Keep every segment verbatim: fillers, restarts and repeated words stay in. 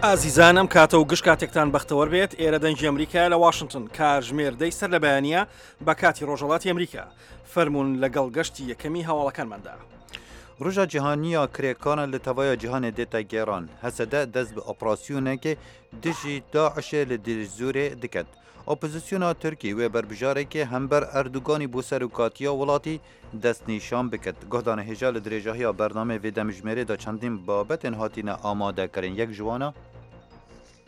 ئازیزان، ئەم کاتە و گشت کاتێکتان بەختەوەر بێت. ئێرە دەنگی ئەمریکا لە واشنگتن، کاتژمێر دەی سەر لە بەیانیە بە کاتی ڕۆژهەڵاتی ئەمریکا. فەرموون لەگەڵ گەشتی یەکەمی هەواڵەکانماندا. Roja Cîhanî ya Kirêkaran li tevaya cîhanê dête gêran. H S D dest bi operasyonekê dijî DAIŞê li Dêrîzûrê diket. Opozisyona Tirkî wê berbijarekê hember Erdoganî bo serokatiya welatî destnîşan bikit. Guhdarên hêja, li dirêjahiya bernameyê vê demjimêrê de çendîn babetên hatine amadekirin. Yek ji wan a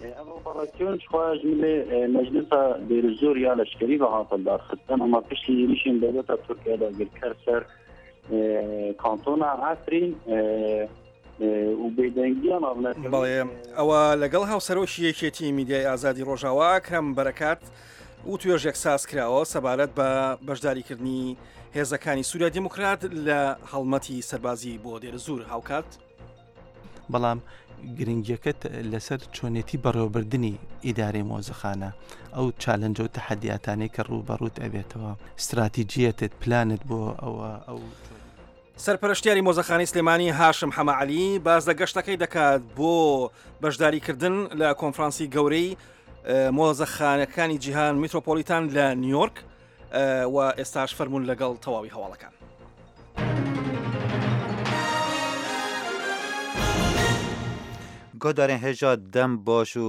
Ev operasyon ji xwe ji milê, e, Meclisa Dêrîzûr ya Leşkerî ve hate darxistin, ama piştî êrîşên dewleta Tirkiye dagirker ser, e, kantona Efrîn, e, e, û bêdengiya navnetewî. بەڵێ، ئەوە لەگەڵ هاوسەرۆکی یەکێتی میدیای ئازادی ڕۆژاوا، ئەکرەم بەرەکات، و توێژێک ساز کراوە سەبارەت بە بەشداریکردنی هێزەکانی سووریا دیموکرات لە هەڵمەتی سەربازی بۆ دێرزوور هاوکات. بەڵام گرنگیەکە لەسەر چۆنێتی بەڕێوەبردنی ئیدارەی مۆزەخانە، ئەو چالنج و تەحەدیاتانەی کە ڕووبەڕووت ئەبێتەوە، استراتیجیەتت، پلانت بۆ ئەوە، ئەو سەرپەرشتیاری مۆزەخانەی سلێمانی هاشم حەمە عەلی باز لە گەشتەکەی دەکات بۆ بەشداریکردن لە کۆنفرانسی گەورەی، ئە، مۆزەخانەکانی جیهان میترۆپۆلیتان لە نیویۆرک، ئە، و ئێستاش فەرموون لەگەڵ تەواوی هەواڵەکان. Guhdarên hêja, dem baş û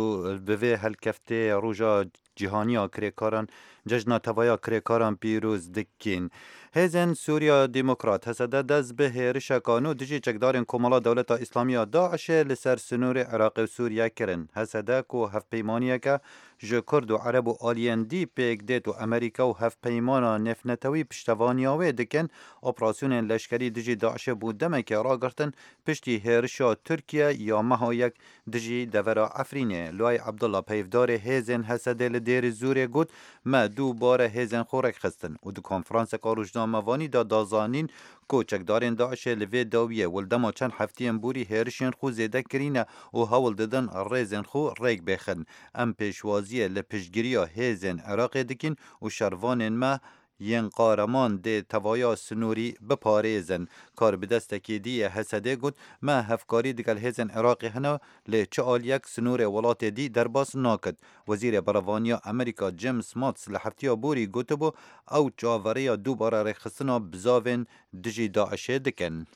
bi vê helkeftê Roja Cîhanî ya Kirêkaran, Cejna Tevaya Kirêkaran pîroz dikin. Hêzên Sûriya Demokrat, H S D, dest bi hêrişeka nû dijî çekdarên Komala Dewleta Îslamî ya DAIŞê li ser sinûrê Iraqê û Sûriye kirin. H S D ku hevpeymaniyeke ji Kurd û Ereb û aliyên dî pêk dêt û Amerîka û hevpeymana nêvnetewî piştevaniya wê dikin, operasyonên leşkerî dijî DAIŞê bû demekê ragirtin piştî hêrişa Tirkiye ya meha yek dijî devera Efrînê. Luay Abdullah, peyvdarê hêzên H S D li Dêrî Zûrê, got, Me dubare hêzên xwe rêkxistin û di konferanseka rojnamevanî de da zanîn ku çekdarên DAIŞê li vê dawiyê û li dema çend hefteyên borî hêrişên xwe zêde kirîne û hewl didin rêzên xwe rêk bêxin. Em pêşwaziyê li piştgiriya hêzên Iraqê dikin û şervanên me yên qareman dê tevaya sinûrî biparêzin. Karbidestekî dî yê H S D got, Me hevkarî digel hêzên Iraqê hene, lê çi aliyek sinûrê welatê dî derbas nakit. Wezîrê Berevaniya Amerîka James Mattis li heftiya borî gotibû, ew çaveriya dubare rêkxistina bizavên dijî DAIŞê dikin.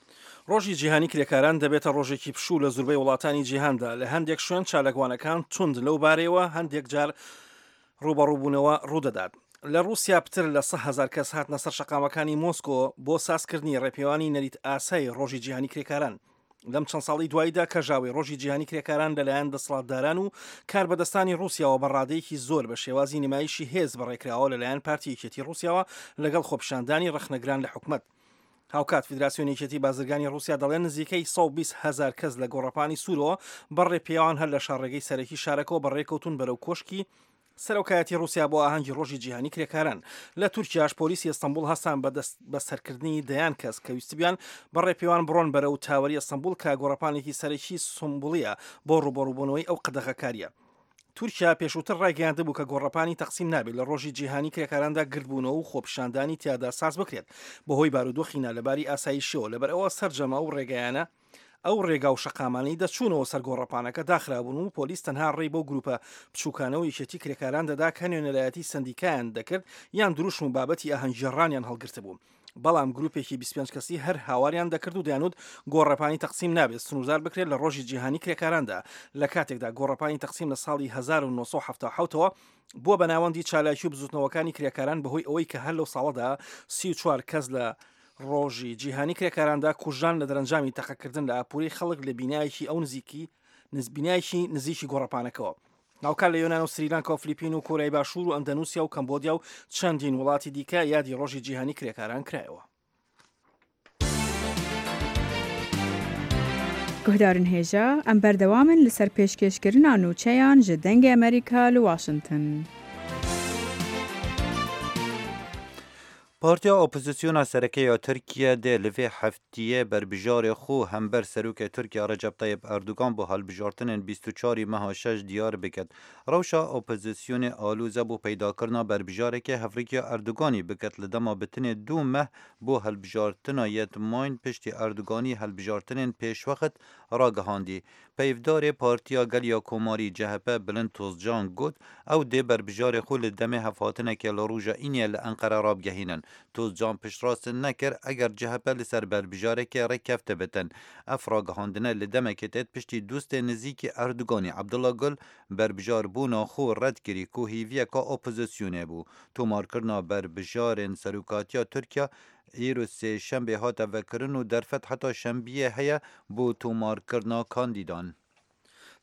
ڕۆژی جیهانی کرێکاران دەبێتە ڕۆژێکی پشوو لە زوربەی وڵاتانی جیهاندا. لە هەندێک شوێن چالاکوانەکان توند لەو بارەیەوە، هەندێک جار ڕوبەڕووبوونەوە ڕوودەدات. لە رووسیا پتر لە سە هەزار کەس هاتنە سەر شەقامەکانی مۆسکۆ بۆ سازکردنی ڕێپێوانی نەریت ئاسای ڕۆژی جیهانی کرێکاران. لەم چەند ساڵی دواییدا کەژاوی ڕۆژی جیهانی کرێکاران لەلایەن دەسەڵاتداران و کاربەدەستانی رووسیاوە بە ڕادەیەکی زۆر بە شێوازی نمایشی هێز بەڕێکراوە لەلایەن پارتی یەکێتی رووسیاوە، لەگەڵ خۆپیشاندانی ڕەخنەگران لە حکومەت. هاوکات فیدراسیۆنی یەکێتی بازرگانی رووسیا دەڵێن نزیکەی سەد و بیست هەزار کەس لە گۆڕەپانی سوورەوە بە ڕێپێوان هەر لە شاڕێگەی سەرەکی شارەکەوە بەڕێکەوتون بەرەو کۆشکی سەرۆکایەتی رووسیا بۆ ئاهەنگی ڕۆژی جیهانی کرێکاران. لە تورکیاش پۆلیسی ئەستەنبوڵ هەستان بە دەست بە سەرکردنی دەیان کەس کە ویستبیان بە ڕێپێوان بڕۆن بەرەو تاوەری ئەستەنبوڵ، کە گۆڕەپانێکی سەرەکی سمبولیە بۆ ڕوبەڕووبوونەوەی ئەو قەدەغەکاریە. تورکیا پێشووتر ڕایگەیاندبوو کە گۆڕەپانی تەقسیم نابێت لە ڕۆژی جیهانی کرێکاراندا گردبوونەوە و خۆپیشاندانی تیادا ساز بکرێت، بەهۆی بارودۆخی نالەباری ئاسایشیەوە. لەبەر ئەوە سەرجەمە ئەو ڕێگەیانە، ئەو ڕێگا و شەقامانەی دەچوونەوە سەر گۆڕەپانەکە داخرابوون و پۆلیس تەنها ڕێی بۆ گروپە بچووکانە و یەکێتی کرێکاران دەدا کە نوێنەرایەتی سەندیکایان دەکرد یان دروشم و بابەتی ئاهەنگگێڕانیان هەڵگرتبوو. بەڵام گروپێکی بیست و پێنج کەسی هەر هاواریان دەکرد و دەیانوت گۆڕەپانی تەقسیم نابێت سنووردار بکرێت لە ڕۆژی جیهانی کرێکاراندا، لە کاتێکدا گۆڕەپانی تەقسیم لە ساڵی هەزار و نۆ سەد و حەفتا و حەوتەوە بووە بە ناوەندی چالاکی و بزوتنەوەکانی کرێکاران، بەهۆی ئەوەی کە هەر لەو ساڵەدا سی و چوار کەس لە ڕۆژی جیهانی کرێکاراندا کوژران لە دەرەنجامی تەقەکردن لە ئاپوری خەڵک لە بینایەکی ئەو نزیکی، نز-، بینایەکی نزیکی گۆڕەپانەکەوە. هاوکار لە یۆنان و سریلانکا و فلیپین و کۆریای باشوور و ئەندەنوسیا و کەمبۆدیا و چەندین وڵاتی دیکە یادی ڕۆژی جیهانی کرێکاران کرایەوە. Guhdarên hêja, em berdewam in li ser pêşkêşkirina nûçeyan ji Dengê Amerîka li Washington. Partiya Opozisyona Sereke ya Tirkiye dê li vê heftiyê berbijarê xwe hember Serokê Tirkiye Recep Tayyip Erdogan bo hilbijartinên bîst û çarî meha şeş diyar biket. Rewşa opozisyonê alûze bo peydakirina berbijarekê hevrikiya Erdoganî biket li dema bi tinê du meh bo hilbijartina yê di mayîn piştî Erdoganî hilbijartinên pêşwext ragihandî. Peyvdarê Partiya Gel ya Komarî, C H P, Bilind Tozcan got, ew dê berbijarê xwe li demê hevhatinekê li roja Îniyê li Enqere rabigehînin. Tozcan piştrast nekir, eger C H P li ser berbijarekê rêkefte bitin. Ev ragihandine li demekê têt piştî dostê nizîkî Erdoganî Abdullah Gül berbijarbûna xwe red kirî ku hêviyeka opozisyonê bû. Tomarkirina berbijarên serokatiya Tirkiye îro sêşembê hate vekirin û derfet heta şembiyê heye bo tomarkirina kandîdan.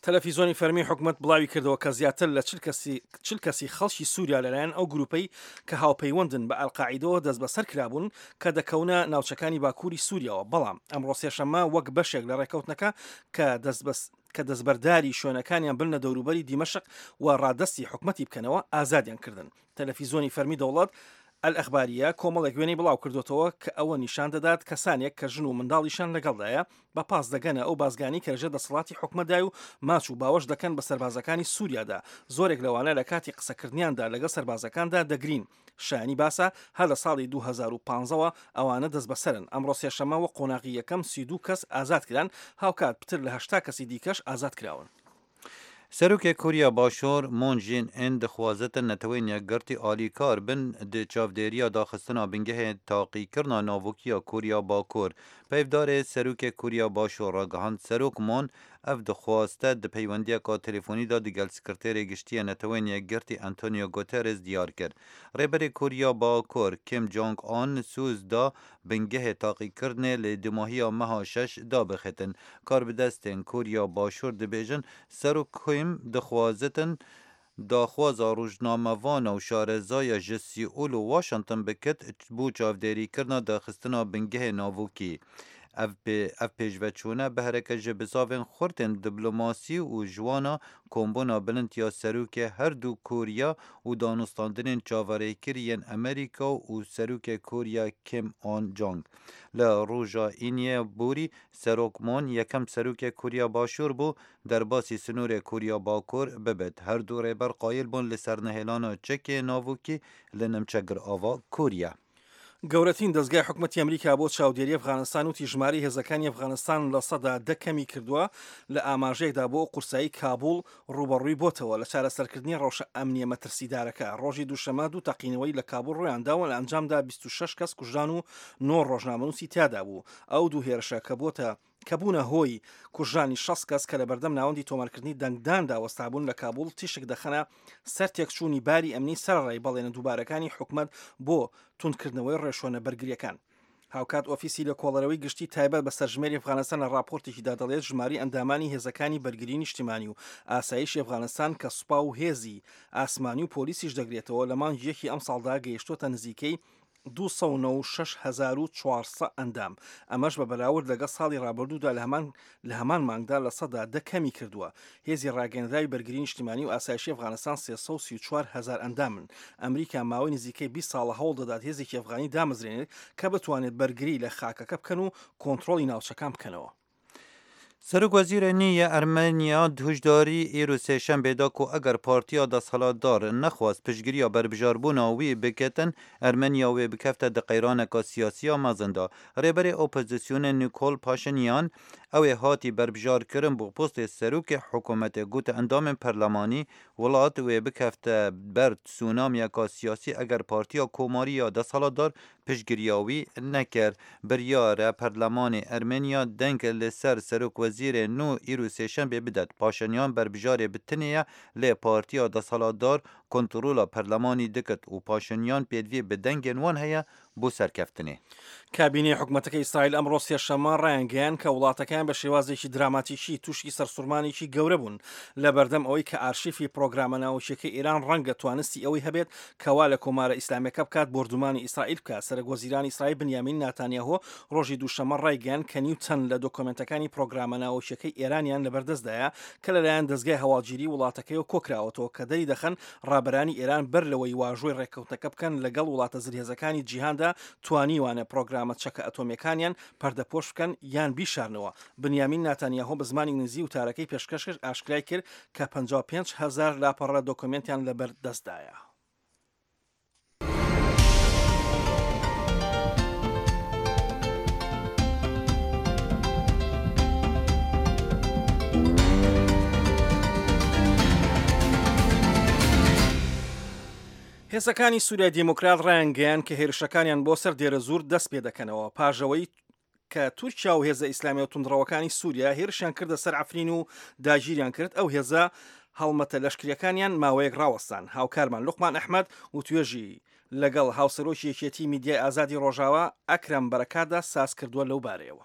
تەلەفیزۆنی فەرمی حکومەت بڵاوی کردەوە کە زیاتر لە چل کەسی، چل کەسی خەڵکی سووریا لەلایەن ئەو گروپەی کە هاوپەیوەندن بە ئەلقاعیدەوە دەست بەسەر کرابوون کە دەکەونە ناوچەکانی باکووری سووریاوە. بەڵام ئەمڕۆ سێشەممە وەک بەشێک لە ڕێکەوتنەکە کە دەست بەس-، کە دەستبەرداری شوێنەکانیان بنە دەوروبەری دیمەشق و ڕادەستی حکومەتی بکەنەوە، ئازادیان کردن. تەلەفیزۆنی فەرمی دەوڵەت، ئەل ئەخباریە، کۆمەڵێک وێنەی بڵاو کردوتەوە کە ئەوە نیشان دەدات کەسانێک کە ژن و منداڵیشان لەگەڵدایە بە پاس دەگەنە ئەو بازگانی کە لەژێر دەسەڵاتی حکومەتدای و ماچ و باوەش دەکەن بە سەربازەکانی سووریادا. زۆرێک لەوانە لە کاتی قسەکردنیاندا لەگەڵ سەربازەکاندا دەگرین. شایانی باسە، هەر لە ساڵی دوو هەزار و پازدەوە ئەوانە دەست بەسەرن. ئەمڕۆ سێشەممە وە قۆناغی یەکەم سی و دوو کەس ئازاد کران، هاوکات پتر لە هەشتا کەسی دیکەش ئازاد کراون. Serokê Koriya Başûr Moon Jae-in dixwazitin Netewên Yekgirtî alîkar bin di çavdêriya daxistina bingehê taqîkirina navokî ya Koriya Bakur. Peyvdarê Serokê Koriya Başûr ragihand, Serok Moon ev dixwaste di peywendiyeka telefonî de digel Sekreterê Giştî yê Netewên Yekgirtî Antonio Guterres diyar kir. Rêberê Koriya Bakur Kim Jong-un soz da bingehê taqîkirinê li dimahiya meha şeş dabixîtin. Karbidestên Koriya Başûr dibêjin, Serok Kim dixwazitin daxwaza rojnamevana û şarezaya ji Seûl û Washington bikit bo çavdêrîkirina daxistina bingehê navokî. Ev pê-, ev pêşveçûne behreke ji bizavên xurt ên diplomasî û ji wana kombûna bilind ya serokê her du Koriya û danûstandinên çaverêkirî yên Amerîka û serokê Koriya Kim Jong. Li roja Îniyê borî Serok Moon yekem serokê Koriya Başûr bû derbasî sînorê Koriya Bakur bibit. Her du rêber qayil bûn li ser nehêlana çekê navokî li nimçegirava Koriya. گەورەترین دەستگای حکومەتی ئەمریکا بۆ چاودێری ئەفغانستان وتی ژمارەی هێزەکانی ئەفغانستان لە سەدا دە کەمی کردووە. لە ئاماژەیەکدا بۆ قورسایی کابوڵ ڕوبەڕووی بۆتەوە لە چارەسەرکردنی ڕەوشە ئەمنیە مەترسیدارەکە. ڕۆژی دووشەمە دوو تەقینەوەی لە کابوڵ ڕوویانداوە، لە ئەنجامدا بیست و شەش کەس کوژران و نۆ ڕۆژنامەنووسی تیادا بوو. ئەو دوو هێرشە کە بۆتە کە بوونە هۆی کوژرانی شەست کەس کە لە بەردەم ناوەندی تۆمارکردنی دەنگداندا وەستابوون لە کابوڵ، تیشک دەخەنە سەر تێکچوونی باری ئەمنی سەرەڕای بەڵێنە دووبارەکانی حکومەت بۆ توندکردنەوەی ڕێشۆنە بەرگریەکان. هاوکات ئۆفیسی لە کۆڵەرەوەی گشتی تایبەت بە سەرژمێری ئەفغانستان لە راپۆرتێکیدا دەڵێت ژماری ئەندامانی هێزەکانی بەرگری نیشتیمانی و ئاسایشی ئەفغانستان کە سوپا و هێزی ئاسمانی و پۆلیسیش دەگرێتەوە، لە مانگی یەکی ئەم ساڵدا گەیشتوتە نزیکەی دوو سەد و نەوەد و شەش هەزار و چوار سەد ئەندام. ئەمەش بە بەراورد لەگەڵ ساڵی ڕابردوودا لە هەمان، لە هەمان مانگدا لە سەدا دە کەمی کردووە. هێزی ڕاگەندراوی بەرگری نیشتیمانی و ئاسایشی ئەفغانستان سێ سەد و سی و چوار هەزار ئەندامن. ئەمریکا ماوەی نزیکەی بیست ساڵە هەوڵ دەدات هێزێکی ئەفغانی دامەزرێنێت کە بتوانێت بەرگری لە خاکەکە بکەن و کۆنترۆلی ناوچەکان بکەنەوە. Serok Wezîrê nî yê Ermeniya di hişdarî îro sêşembê da ku eger partiya desthilatdar nexwast piştgiriya berbijarbûna wî biketin, Ermeniya wê bikefte di qeyraneka siyasî ya mezin de. Rêberê opozisyonê Nikol Paşinyan, ew ê hatî berbijarkirin bo postê serokê hikûmetê, gote endamên perlemanî, welat wê bikefte ber tsunamiyeka siyasî eger partiya komarî ya desthilatdar piştgiriya wî nekir. Biryar e perlemanê Ermeniya deng li ser serokwezîrê nû îro sêşembê bidet. Paşinyan berbijarê bi tinê ye, lê partiya desthilatdar kontrola perlemanî dikit û Paşinyan pêdivî bi dengên wan heye bo serkeftinê. کابینەی حکومەتەکەی ئیسرائیل ئەمڕۆ سێشەممە ڕایانگەیان کە وڵاتەکەیان بە شێوازێکی دراماتیکی تووشی سەرسوڕمانێکی گەورە بوون لە بەردەم ئەوەی کە ئارشیفی پرۆگرامە ناوەکیەکەی ئێران ڕەنگە توانستی ئەوەی هەبێت کەوا لە کۆمارە ئیسلامیەکە بکات بۆردومانی ئیسرائیل بکات. سەرەک وەزیرانی ئیسرائیل بنیامین ناتانیاهۆ ڕۆژی دووشەممە ڕایگەیاند کە نیوتەن لە دۆکۆمنتەکانی پرۆگرامە ناوەکیەکەی ئێرانیان لەبەردەستدایە کە لەلایەن دەستگای هەواڵگیری وڵاتەکەیەوە کۆکراوەتەوە کە دەری دەخەن رابەرانی ئێران بەر لەوەی واژۆی ڕێککەوتنەکە بکەن لەگەڵ وڵاتە زلهێزەکانی جیهاندا، توانیوانە پرۆگرامە چەکە ئەتۆمیەکانیان پەردەپۆش بکەن یان بیشارنەوە. بنیامین ناتانیاهۆ بە زمانی ئینگلیزی وتارەکەی پێشکەش کرد، ئاشکرای کرد کە پەنجا و پێنج هەزار لاپەڕە دۆکۆمنتیان لەبەر دەستدایە. هێزەکانی سووریای دیموکرات ڕایانگەیان کە هێرشەکانیان بۆ سەر دێرە زوور دەست پێ دەکەنەوە، پاژەوەی کە تورکیا و هێزە ئیسلامی و توندڕەوەکانی سووریا هێرشیان کردە سەر عەفرین و داگیریان کرد. ئەو هێزە هەڵمەتە لەشکریەکانیان ماوەیەک ڕاوەستان. هاوکارمان لوقمان ئەحمەد و توێژی لەگەڵ هاوسەرۆکی یەکێتی میدیای ئازادی ڕۆژاوا ئەکرەم بەرەکاتدا ساز کردووە لەو بارەیەوە.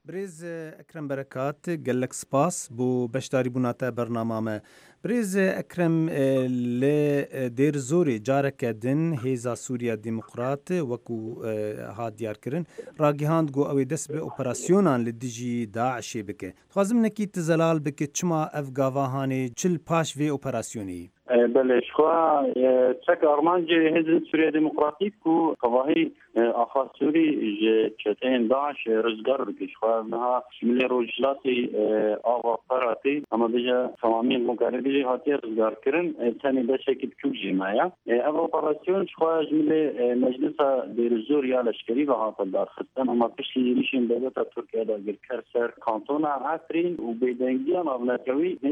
برێز ئەکرەم بەرەکات، gelek spas bo beşdarîbûna te bernama me. Birêz Ekrem, e, li, e, Dêr Zorê careke din Hêza Sûriya Demokrat, wekû, e, hat diyarkirin, ragihand ku ew ê dest bi operasyonan li dijî DAIŞê bike. Dixwazim hinekî tu zelal bike, çima ev gava hanê, çi li paş vê operasyonê yî? E, belê, ji xwe, e, çek armancê Hêzên Sûriya Demokratîk ku tevahî, e, axa Sûrî ji çeteyên DAIŞ, e, rizgar bike. Ji xwe ev niha ji milê rojhilatî, e, ava Feratî, em ê bêje temamî Mogalê bêje hatiye rizgarkirin, e, tenê beşekî biçûk jî me ye. E, ev operasyon ji xwe ji milê, e, Meclisa Dêrozor ya Leşkerî ve hate darxistin, ama piştî êrîşên dewleta Tirkiye dagirker ser kantona Efrîn û bêdengiya navnetewî, e,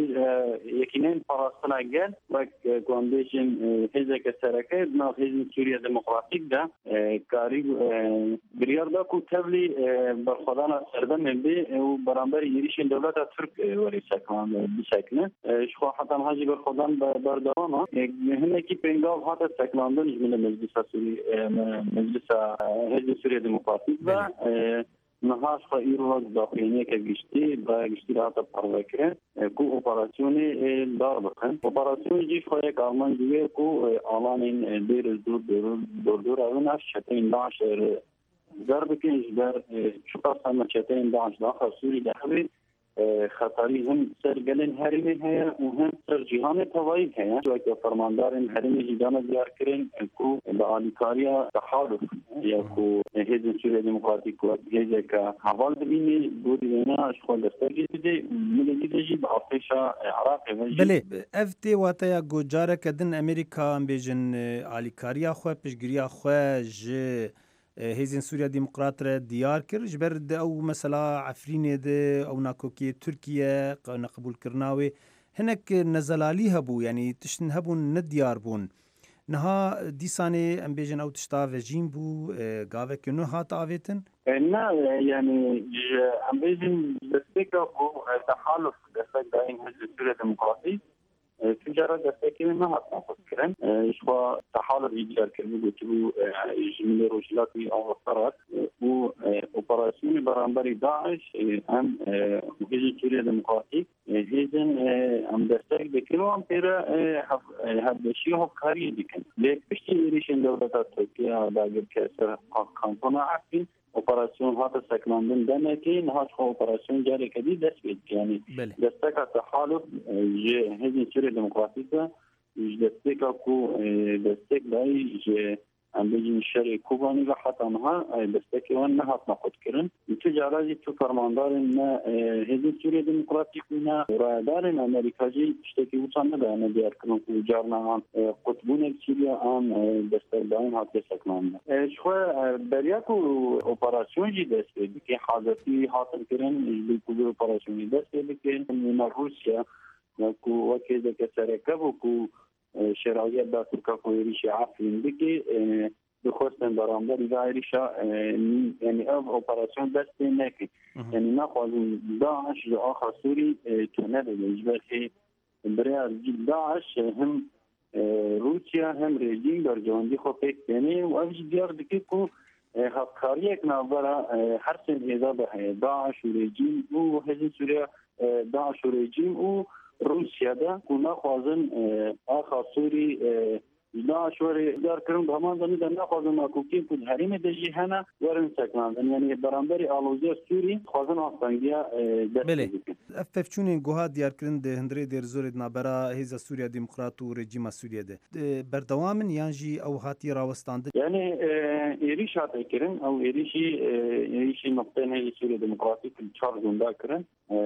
yekîneyên parastina gel, wek, e, ku em bêjin, e, hêzeke sereke di nav Hêzên Sûriya Demokratîk de, e, karî, e, biryar da ku tevlî, e, berxwedana serdemê bê, e, û beramberî êrîşên dewleta Tirk, e, werê seknan, e, bisekine. E, ji xwe heta niha jî berxwedan be-, berdewam e. E, hinekî pêngav hate seknandin ji milê Meclisa Sûrî, e, me-, Meclisa, e, Hêzên Sûriya Demokratîk ve. Belê. E, niha ji xwe îro daxuyaniyeke giştî, biraya giştî re hate parvekirin, e, ku operasyonê, e, dar bixin. Operasyon jî ji xwe yek armanc wê ku, e, alanên, e, Dêr Zor, Dor-, Dordora wina ji çeteyên DAIŞ, e, rizgar bikin, ji ber, e, çiqas heme çeteyên DAIŞ di axa Sûrî de hebe, e, xeterî him ser gelên herêmê heye û him ser cîhanê tevayî heye. Weke fermandarên herêmê jî dane diyarkirin, e, ku bi alîkariya tehaluf ya ku Hêzên Sûriya Demokratîk wek hêzeke heval dibînî, gorî wêna ji xwe destek jî dide û milê dide jî bi artêşa, e, Iraqê ve jî. Belê, ev tê wateya ku careke din Amerîka, em bêjin, e, alîkariya xwe, piştgiriya xwe ji, e, Hêzên Sûriya Demokrat re diyar kir. Ji ber di ew mesela Efrînê de ew nakokiyê Tirkiye, qe-, neqebûlkirina wê, hinek nezelalî hebû, yanî tiştin hebûn nediyar bûn. Niha dîsanê em bêjin ew tişta vejîn bû, e, gaveke nû hat avêtin? E, ne, e, yanî ji, em bêjin destpêka ku, e, tehaluf destek dayîn Hizbê Sûriya Demokratî, e, tu cara destekê wê nehat naxwazkirin. E, ji xwe tehaluf jî diyar kiribû, gotibû, e, ji milê rojhilatî ava Ferat, e, û, e, operasyonê beramberî DAIŞ, e, em, e, Hizbê Sûriya Demokratîk, e, hêzên, e, em destek dikin û em pê re, e, hev-, e, hevbeşî û hevkariyê dikin. Lê piştî êrîşên dewleta Tirkiye dagirker ser ka-, kantona Efrîn, operasyon hate seknandin demekê, niha ji xwe operasyon careke dî dest pê dike. Yanî Belê. desteka tehaluf, e, ji Hêzên Sûriya Demokratîk de, ji destpêka ku, e, destek dayî ji, em bêjin, şerê Kobanî ve heta niha, e, destekê wan nehatine qutkirin. Û tu cara jî tu fermandarên me, e, Hêzên Sûriye Demokratîk û ne rayedarên Amerîka jî tiştekî wisa nedayene diyarkirin ku carna an, e, qutbûnek Sûriye an, e, destekdayîn hatiye seknandin. E, ji xwe, e, beriya ku operasyon jî dest pê bike, hazirtî hatin kirin, ji bo ku vê operasyonê dest pê bikin. Wêna Rûsya, ya ku wek hêzeke sereke bû ku, e, şêraziya da Tirka ku êrîşê Efrîn bike, e, dixwestin beramberî vê êrîşa, e, yanî ev operasyon dest pê neke. Mhm. Yanî naxwazin DAIŞ ji axa Sûrî, e, tune bibe. Ji ber hê birêya DAIŞ, e, him, e, Rûsya hem rejîm berjewendî xwe pêk têne û ev jî diyar dike ku, e, hevkariyek navbera, e, her sê hêza de heye. DAIŞ û rejîm û Hêzên Sûriya, e, DAIŞ û rejîm û Rûsya de ku naxwazin, e, axa Sûrî, e, Ji DAIŞ were dar kirin, bi heman zanî de naxwazin nakokên ku di herêmê de jî hene werin sekinandin. Yanî beramberî aloziya Sûrî dixwazin astengiya, e, dest Belê. pê bikin. Ev pevçûnên ku hat diyarkirin di hundirê Dêrzorê di navbera Hêza Sûriya Demokrat û rejîma Sûriyê de, e, berdewam in yan jî ew hatiye rawestandin? Yanî, e, êrîş hate kirin, ew êrîşî, e, êrîşî noqteyên Hêzê Sûriya Demokratîk li çar gunda kirin. E,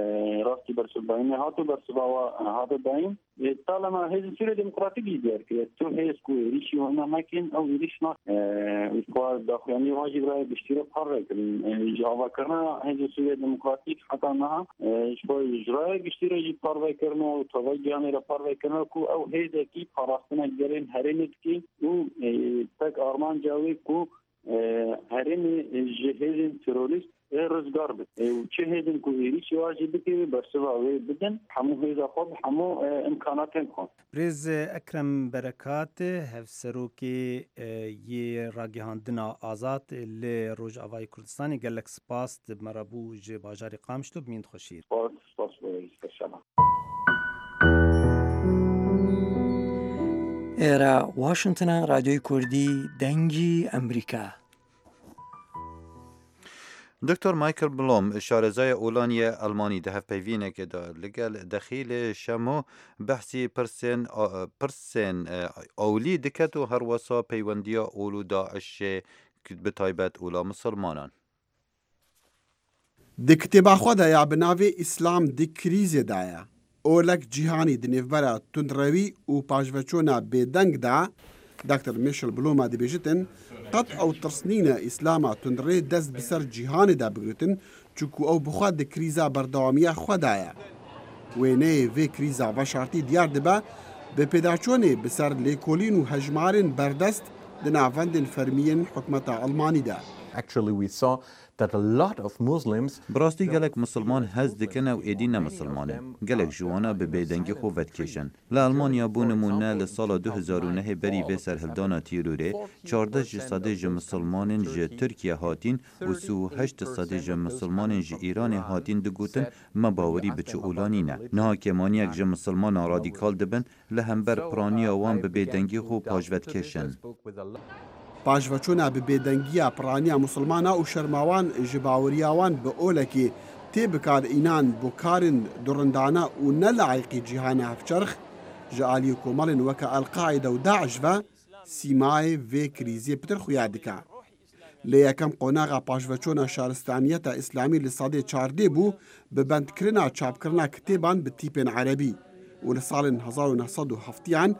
rastî bersivdayînê hat û bersiva wa hate dayîn. E, talema Hêzê Sûriya Demokratîk jî diyar kiriye. Tu hêz ku êrîşî wana mekin, ew êrîş nakin. E, û ji xwe daxuyaniyê wan jî bi raya giştî re parve kirin. E, ji avakirina Hêzê Sûriya Demokratîk heta niha, e, ji xwe ji raya giştî re jî parve kirine û teva gihanê re parve kirine ku ew hêzekî parastina gelên herêmê dike û, e, tek armanca wê ku, e, herêmê ji hêzên terorîst, e, rizgar bike. E, û çi hêzên ku êrîşî wa jî bike, wê bersiva wê bidin, hemû hêza xwe bi hemû, e, imkanatên xwe. Birêz Ekrem Berekat, hevserokê, e, yê ragihandina Azad li Rojavayê Kurdistanê, gelek spas, tu bi me re bû ji bajarê Qamişlo, bimîn xweşîr. Spas, spas bo we, spas şema. Êra Washington e, Radyoyê Kurdî, Dengî Emerîka. Doktor Michael Blom, şarezaya Olaniyê Elmanî, di hevpeyvînekê de li gel Dexîlê Şemo behsî pirsên, a, pirsên, e, ewlî diket û herwesa peywendiya ol û DAIŞê, bi taybet ola misilmanan. Di kitêba xwe de ya bi navê Îslam di krîzê de ye, Olek Cîhanî di nêvbera tundrewî û paşveçûna bêdeng de, Doktor Michel Bloma dibêjitin, qet ew tirs nîne Îslama tundrê dest bi ser cîhanê de bigritin, çunku ew bi xwe di krîza berdewamiya xwe de ye. Wêneyê vê krîza veşartî diyar dibe, bi pêdaçûnê bi ser lêkolîn û hejmarên berdest di navendên fermî yên hikûmeta Elmanî de. Actually, we saw that a lot of Muslims Bi rastî gelek misilman hez dikin ew êdî ne misilman in. Gelek ji wana bi bêdengî xwe vedikêşin. Li Elmanya, bo nimûne, li sala du hezar û nehê berî vê serhildana tîrorê, çardeh ji sedê ji misilmanên ji Tirkiye hatîn û sî û heşt sedê ji misilmanên ji Îranê hatîn digotin, me bawerî bi çi ola nîne. Niha kêmaniyek ji misilmanan radîkal dibin, li hember piraniya wan bi bêdengî xwe paşve dikêşin. Paşveçûna bi bêdengiya piraniya misilmana û şerma wan ji baweriya wan bi olekê tê bikar înan bo karên durindane û ne layiqî cîhana hevçerx, ji aliyê komelên weke El-Qaîde û DAIŞ ve sîmayê vê krîzê pitir xuya dike. Lê yekem qonaxa paşveçûna şaristaniyeta îslamî li sedê çardê bû, bi bendkirina çapkirina kitêban bi tîpên erebî û li salên hezar û neh sed û heftiyan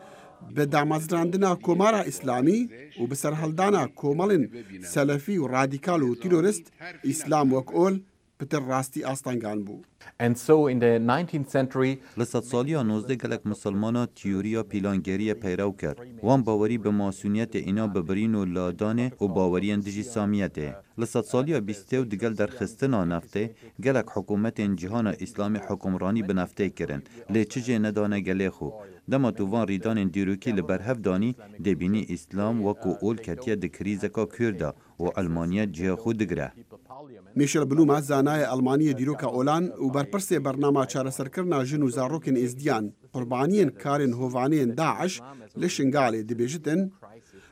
bi damezrandina Komara Îslamî û bi serhildana komelên selefî û radîkal û terorîst, Îslam wek ol pitir rastî astengan bû. And so in the nineteenth century, Li sedsaliya nozdeh gelek misilmana tiyoriya pîlangeriyê peyrew kir. Wan bawerî bi masûniyetê îna bi birîn û ladanê û baweriyên dijî samiyetê. Li sedsaliya bîstê û digel derxistina neftê, gelek hikûmetên cîhana Îslamî hikûmranî bi neftê kirin, lê çi jê nedane gelê xwe. Dema tu van rîdanên dîrokî li ber hev danî, dê bînî Îslam wekû ol ketiye di krîzeka kûr de û elmaniyet cihê xwe digire. Michel Bluma, zanayê Elmaniyê dîroka olan û berpirsê bernama çareserkirina jin û zarokên êzdiyan, qurbaniyên karên hovaniyên DAIŞ li Şingalê dibêjitin,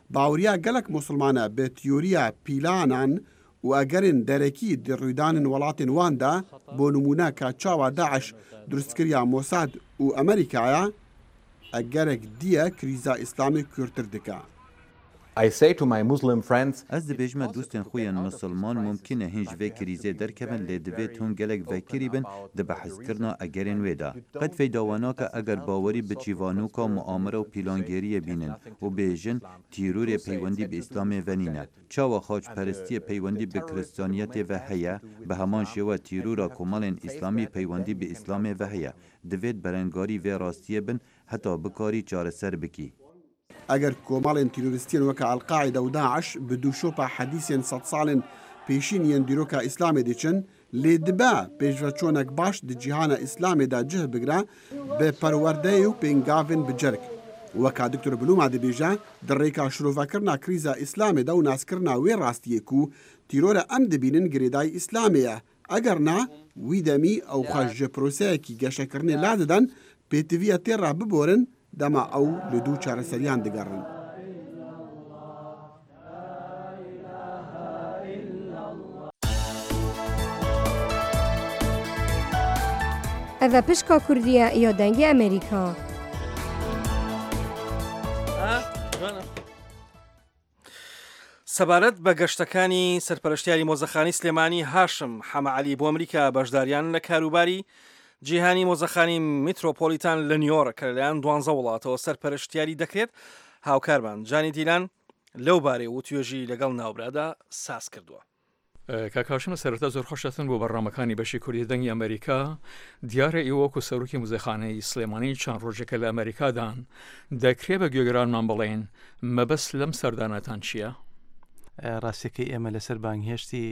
baweriya gelek Musulmane bi tiyoriya pîlanan û egerên derekî di rûydanên welatên wan de, bo nimûne ka çawa DAIŞ durustkiriya Mossad û Amerîkaya, egerek diye krîza Îslamê kûrtir dike. I say to my Muslim friends, Ez dibêjime dostên xwe yên misilman, mumkin e hîn ji vê krîzê derkevin, lê divêt hûn gelek vekirî bin di behskirina egerên wê de. Qet feyda we nake eger bawerî bi çîvanoka muamere û pîlangeriyê bînin û bêjin, tîrorê peywendî bi Îslamê ve nîne. Çawa xaçperestiyê peywendî bi Kristiyaniyetê ve heye, bi heman şêwe tîrora komelên Îslamî peywendî bi Îslamê ve heye. Divêt berengarî vê rastiyê bin heta bikarî çareser bikî. Eger komelên terorîstiyên weke El-Qaîde û DAIŞ bi dûşopa hedîsên sedsalên pêşîn yên dîroka Îslamê diçin, lê dibe pêşveçûnek baş di cîhana Îslamê de cih bigire, bi perwerdeyê û pêngavên bi cerg. Weka Doktor Bluma dibêje, di rêka şirovekirina krîza Îslamê de û naskirina wê rastiyê ku tîror e, em dibînin girêdayî Îslamê ye. Eger na, wî demî ew xwe ji proseyekî geşekirinê ladidin, pêtiviya tê re biborin, dema ew li dû çareseriyan digerin. Ev e Pişka Kurdî ye ya Dengê Amerîka. سەبارەت بە گەشتەکانی سەرپەرشتیاری مۆزەخانی سلێمانی هاشم حەمە عەلی بۆ ئەمریکا، بەشداریان لە کاروباری جیهانی مۆزەخانی میترۆپۆلیتان لە نیویۆرک کە لەلایەن دوانزە وڵاتەوە سەرپەرشتیاری دەکرێت، هاوکارمان جانی دیلان لەو بارەی وتوێژی لەگەڵ ناوبرادا ساز کردووە. کاک هاشم، سەرەتا زۆر خۆش هاتن بۆ بەڕنامەکانی بەشی کوردی دەنگی ئەمریکا. دیارە ئێوە وەکو سەرۆکی موزەخانەی سلێمانی چەند ڕۆژێکە لە ئەمریکادان. دەکرێ بە گوێگرانمان بڵێن مەبەست لەم سەردانەتان چییە؟ ڕاستیەکەی ئێمە لەسەر بانگهێشتی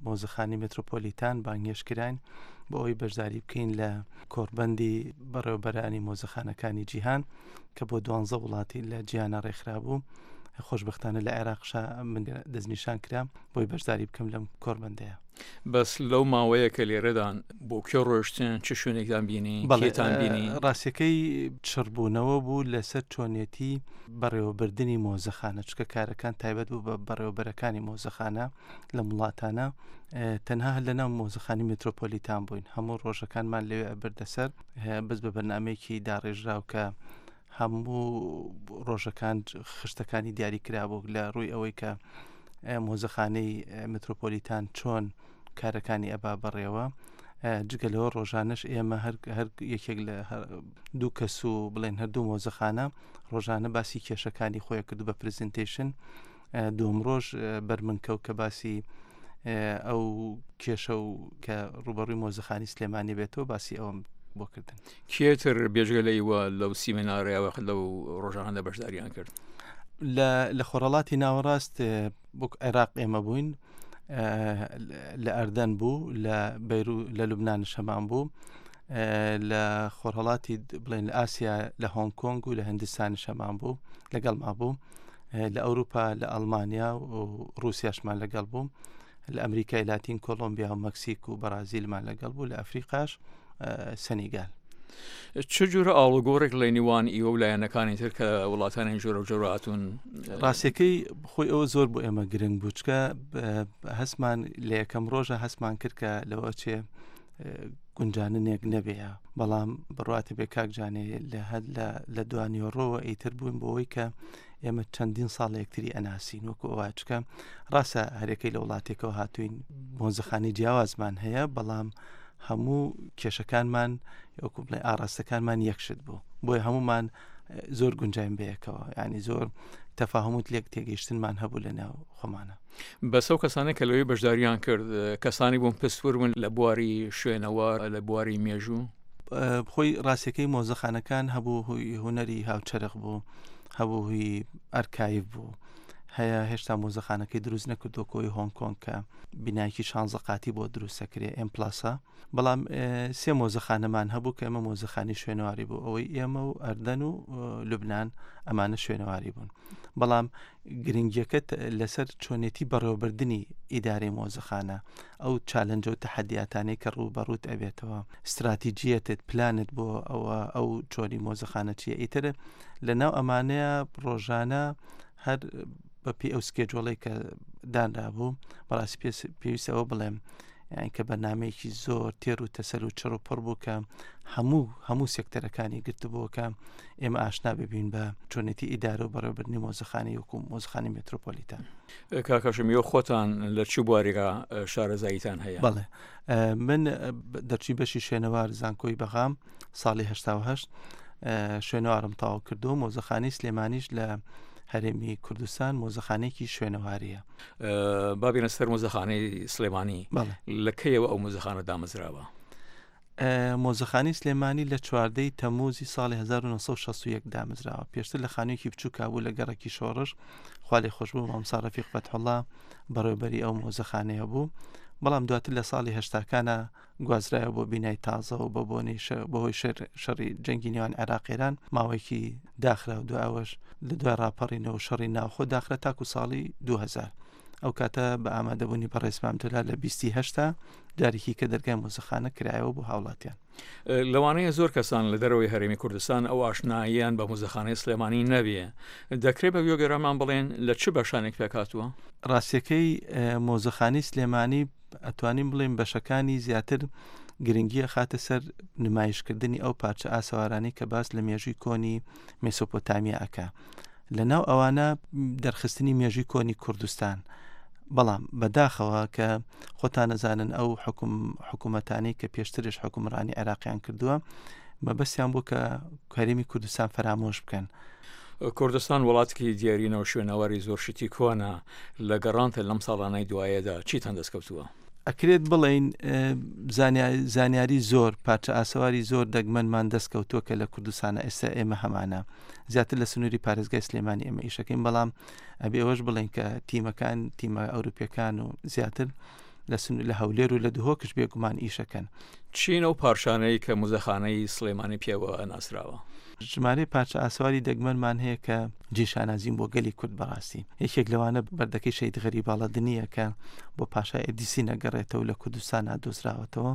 مۆزەخانی مترۆپۆلیتان بانگهێشت کراین بۆ ئەوەی بەشداری بکەین لە کۆڕبەندی بەڕێوەبەرانی مۆزەخانەکانی جیهان کە بۆ دوانزە وڵاتی لە جیهانە ڕێکخرابوو. خۆشبەختانە لە عێراقشا من دەستنیشان کرام بۆی بەشداری بکەم لەم کۆربەندەیە. بەس لەو ماوەیە کە لێرەدان بۆ کوێ ڕۆشتن، چ شوێنێکدان بینی؟ بەڵێ، کێتان بینی؟ ڕاستیەکەی چڕبوونەوە بوو لەسەر چۆنێتی بەڕێوەبردننی مۆزەخانە، چکە کارەکان تایبەت بوو بە بەڕێوەبەرەکانی مۆزەخانە لە وڵاتانە. تەنها هەر لە ناو مۆزەخانی میترۆپۆلیتان بووین، هەموو ڕۆژەکانمان لەوێ ئەبردەسەر. بەس بە بەرنمەیەکی داڕێژراو کە هەموو ڕۆژەکان خشتەکانی دیاری کرابوو لە ڕووی ئەوەی کە مۆزەخانەی میترۆپۆلیتان چۆن کارەکانی ئەبا بەڕێوە. جگە لەوە ڕۆژانەش ئێمە هەر هەر یەکێک لە دوو کەس و بڵێن هەردوو مۆزەخانە ڕۆژانە باسی کێشەکانی خۆی کرد بە پرزنتیشن. دوم ڕۆژ بەرمنکەوت کە باسی ئەو کێشە و کە ڕوبەڕووی مۆزەخانی سلێمانی بێتەوە باسی ئەوم بۆ کردن. کێتر بێژگە لە ئیوە لەو سیمینارەوە لەو ڕۆژانەدا بەشداریان کرد؟ لە خۆرەڵاتی ناوەڕاست، بۆک عێراق ئێمە بووین، لە ئەردەن بوو، لە بەیرو لە لوبنانش هەمان بوو، لە خۆرهەڵاتی بڵێن لە ئاسیا لە هۆنگ کۆنگ و لە هندستانش هەمان بوو، لەگەڵما بوو، لە ئەوروپا لە ئەڵمانیا و رووسیاشمان لەگەڵ بوو، لە ئەمریکای لاتین کۆلۆمبیا و مەکسیک و بەرازیلمان لەگەڵ بوو، لە ئەفریقاش سەنیگال. چ جوورە ئاڵوگۆڕێک لە نێوان ئیوە و لایەنەکانی تر کە وڵاتانی جۆرە و جۆرە هاتوون؟ ڕاستیەکەی خۆی ئەوە زۆر بۆ ئێمە گرنگ بوو، چکە هەستمان لە یەکەم ڕۆژە هەستمان کرد کە لەوە چێ گونجاننێک نەبێە. بەڵام بڕاتە بێ کاکجانێ لە هەر لە دوانیۆڕۆوە ئیتر بووین بۆەوەی کە ئێمە چەندین ساڵ یەکتری ئەناسین وەکو ئەوە، چکە ڕاستە هەرێکەی لە وڵاتێکەوە هاتوین، مۆزەخانی جیاوازمان هەیە، بەڵام هەموو کێشەکانمان وەکو بڵێ ئاراستەکانمان یەکشت بوو، بۆیە هەمومان زۆر گونجاین بەیەکەوە، ینی زۆر تەفاهموت لێک تێگەیشتنمان هەبوو لە ناو خۆمانە. بەس ئەو کەسانە کە لەوێ بەشداریان کرد، کەسانی بوون پستور بوون لە بواری شوێنەوار، لە بواری مێژوو؟ خۆی ڕاستیەکەی مۆزەخانەکان هەبوو هوی هوەری هاوچەرخ بوو، هەبوو هوی ئەرکایف بوو، هەیە هێشتا مۆزەخانەکەی دروست نەکردو کۆی هۆنگ کۆنگ کە بینایکی شانزە قاتی بۆ دروستەکرێ ئێم پلاسە. بەڵام سێ مۆزەخانەمان هەبوو کە ئێمە مۆزەخانی شوێنەواری بوو، ئەوەی ئێمە و ئەردەن و لوبنان، ئەمانە شوێنەواری بوون. بەڵام گرنگیەکە لەسەر چۆنێتی بەڕێوەبردننی ئیدارەی مۆزەخانە، ئەو چالنجە و تەحەدیاتانەی کە ڕوو بەڕووت ئەبێتەوە، استراتیجیەتت پلانت بۆ ئەوە ئەو چۆنی مۆزەخانە چیە ئیتر لە ناو ئەمانەیە ڕۆژانە هەر بەپی ئەو سکێجۆڵی کە دانرابوو. بەڕاستی پێویستەوە بڵێم یان کە بەرنمەیەکی زۆر تێر و تەسەر و چڕ و پڕ بوو کە هەموو هەموو سێکتەرەکانی گرتبووەکە ئێمە ئاشنا ببین بە چۆنێتی ئیدارە و بەڕێوەبردننی مۆزەخانی وەکو مۆزەخانی مترۆپۆلیتان. کاکەشم یۆ خۆتان لە چ بوارێکە شارەزاییتان هەیە؟ بەڵێ، من دەرچوی بەشی شوێنەوار زانکۆی بەغام ساڵی هەشتا و هەشت شوێنەوارم تاو کردو، مۆزەخانی سلێمانیش لە هەرێمی کوردستان مۆزەخانێکی شوێنەواریە. بابینە سەر مۆزەخانەی سلێمانی. بەڵێ. لە کەیەوە ئەو مۆزەخانە دامەزراوە؟ مۆزەخانی سلێمانی لە چواردەی تەموزی ساڵی هەزار و نۆ سەد و شەست و یەک دامەزراوە. پێشتر لە خانوویەکی بچووکا بوو لە گەڕەکی شۆڕش، خوا لێ خۆش بوو مامسا ڕەفیق فەتحوڵا بەڕێوەبەری ئەو مۆزەخانەیە بوو. بەڵام دواتر لە ساڵی هەشتاکانە گوازرایەوە بۆ بینای تازە و بە بۆنەی شە-، بەهۆی شەر-، شەڕی جەنگی نێوان عێراق ئێران ماوەیەکی داخرا و دوای ئەوەش لە دوای ڕاپەڕینەوە و شەڕی ناوخۆ داخرا تاکو ساڵی دوو هەزار. ئەو کاتە بە ئامادەبوونی بەڕێز مام جەلال لە بیست و هەشتا جارێکی کە دەرگای مۆزەخانە کرایەوە بۆ هاوڵاتیان. لەوانەیە زۆر کەسان لە دەرەوەی هەرێمی کوردستان ئەو ئاشناییان بە مۆزەخانەی سلێمانی نەبیە. دەکرێت بە گوێگەرانمان بڵێن لە چ بەشانێک پێکهاتووە؟ ڕاستیەکەی مۆزەخانی سلێمانی ئەتوانین بڵێن بەشەکانی زیاتر گرنگیە خاتە سەر نمایشکردنی ئەو پارچە ئاسەوارانەی کە باس لە مێژووی کۆنی مێسۆپۆتامیا ئەکا. لە ناو ئەوانە دەرخستنی مێژووی کۆنی کوردستان. بەڵام بەداخەوە کە خۆتان نەزانن ئەو حکوم-، حکوومەتانەی کە پێشترش حکومڕانی عێراقیان کردووە، مەبەستیان بوو کە هەرێمی کوردستان فەرامۆش بکەن. کوردستان وڵاتێکی دیارینە و شوێنەواری زۆر شتی کۆنە. لە گەڕانتە لەم ساڵانەی دوایەدا چیتان دەستکەوتووە؟ ئەکرێت بڵێین، ئە، زانیا-، زانیاری زۆر، پارچە ئاسەواری زۆر دەگمەنمان دەستکەوتووە کە لە کوردستانە ئێستا ئێمە هەمانە. زیاتر لە سنووری پارێزگای سلێمانی ئێمە ئیشەکەین، بەڵام ئەبێ ئەوەش بڵێن کە تیمەکان، تیمە ئەوروپیەکان و زیاتر لە سنوور، لە هەولێر و لە دهۆکش بێگومان ئیشەکەن. چین ئەو پارچانەی کە موزەخانەی سلێمانی پێوە ناسراوە؟ ژمارەی پارچە ئاسەواری دەگمەنمان هەیە کە جێ شانازین بۆ گەلی کورد بەڕاستی. یەکێک لەوانە بەردەکەی شەهید غەریباڵەدنیە کە بۆ پاشای ئەدیسی نەگەڕێتەوە، لە کوردستان دۆزراوەتەوە.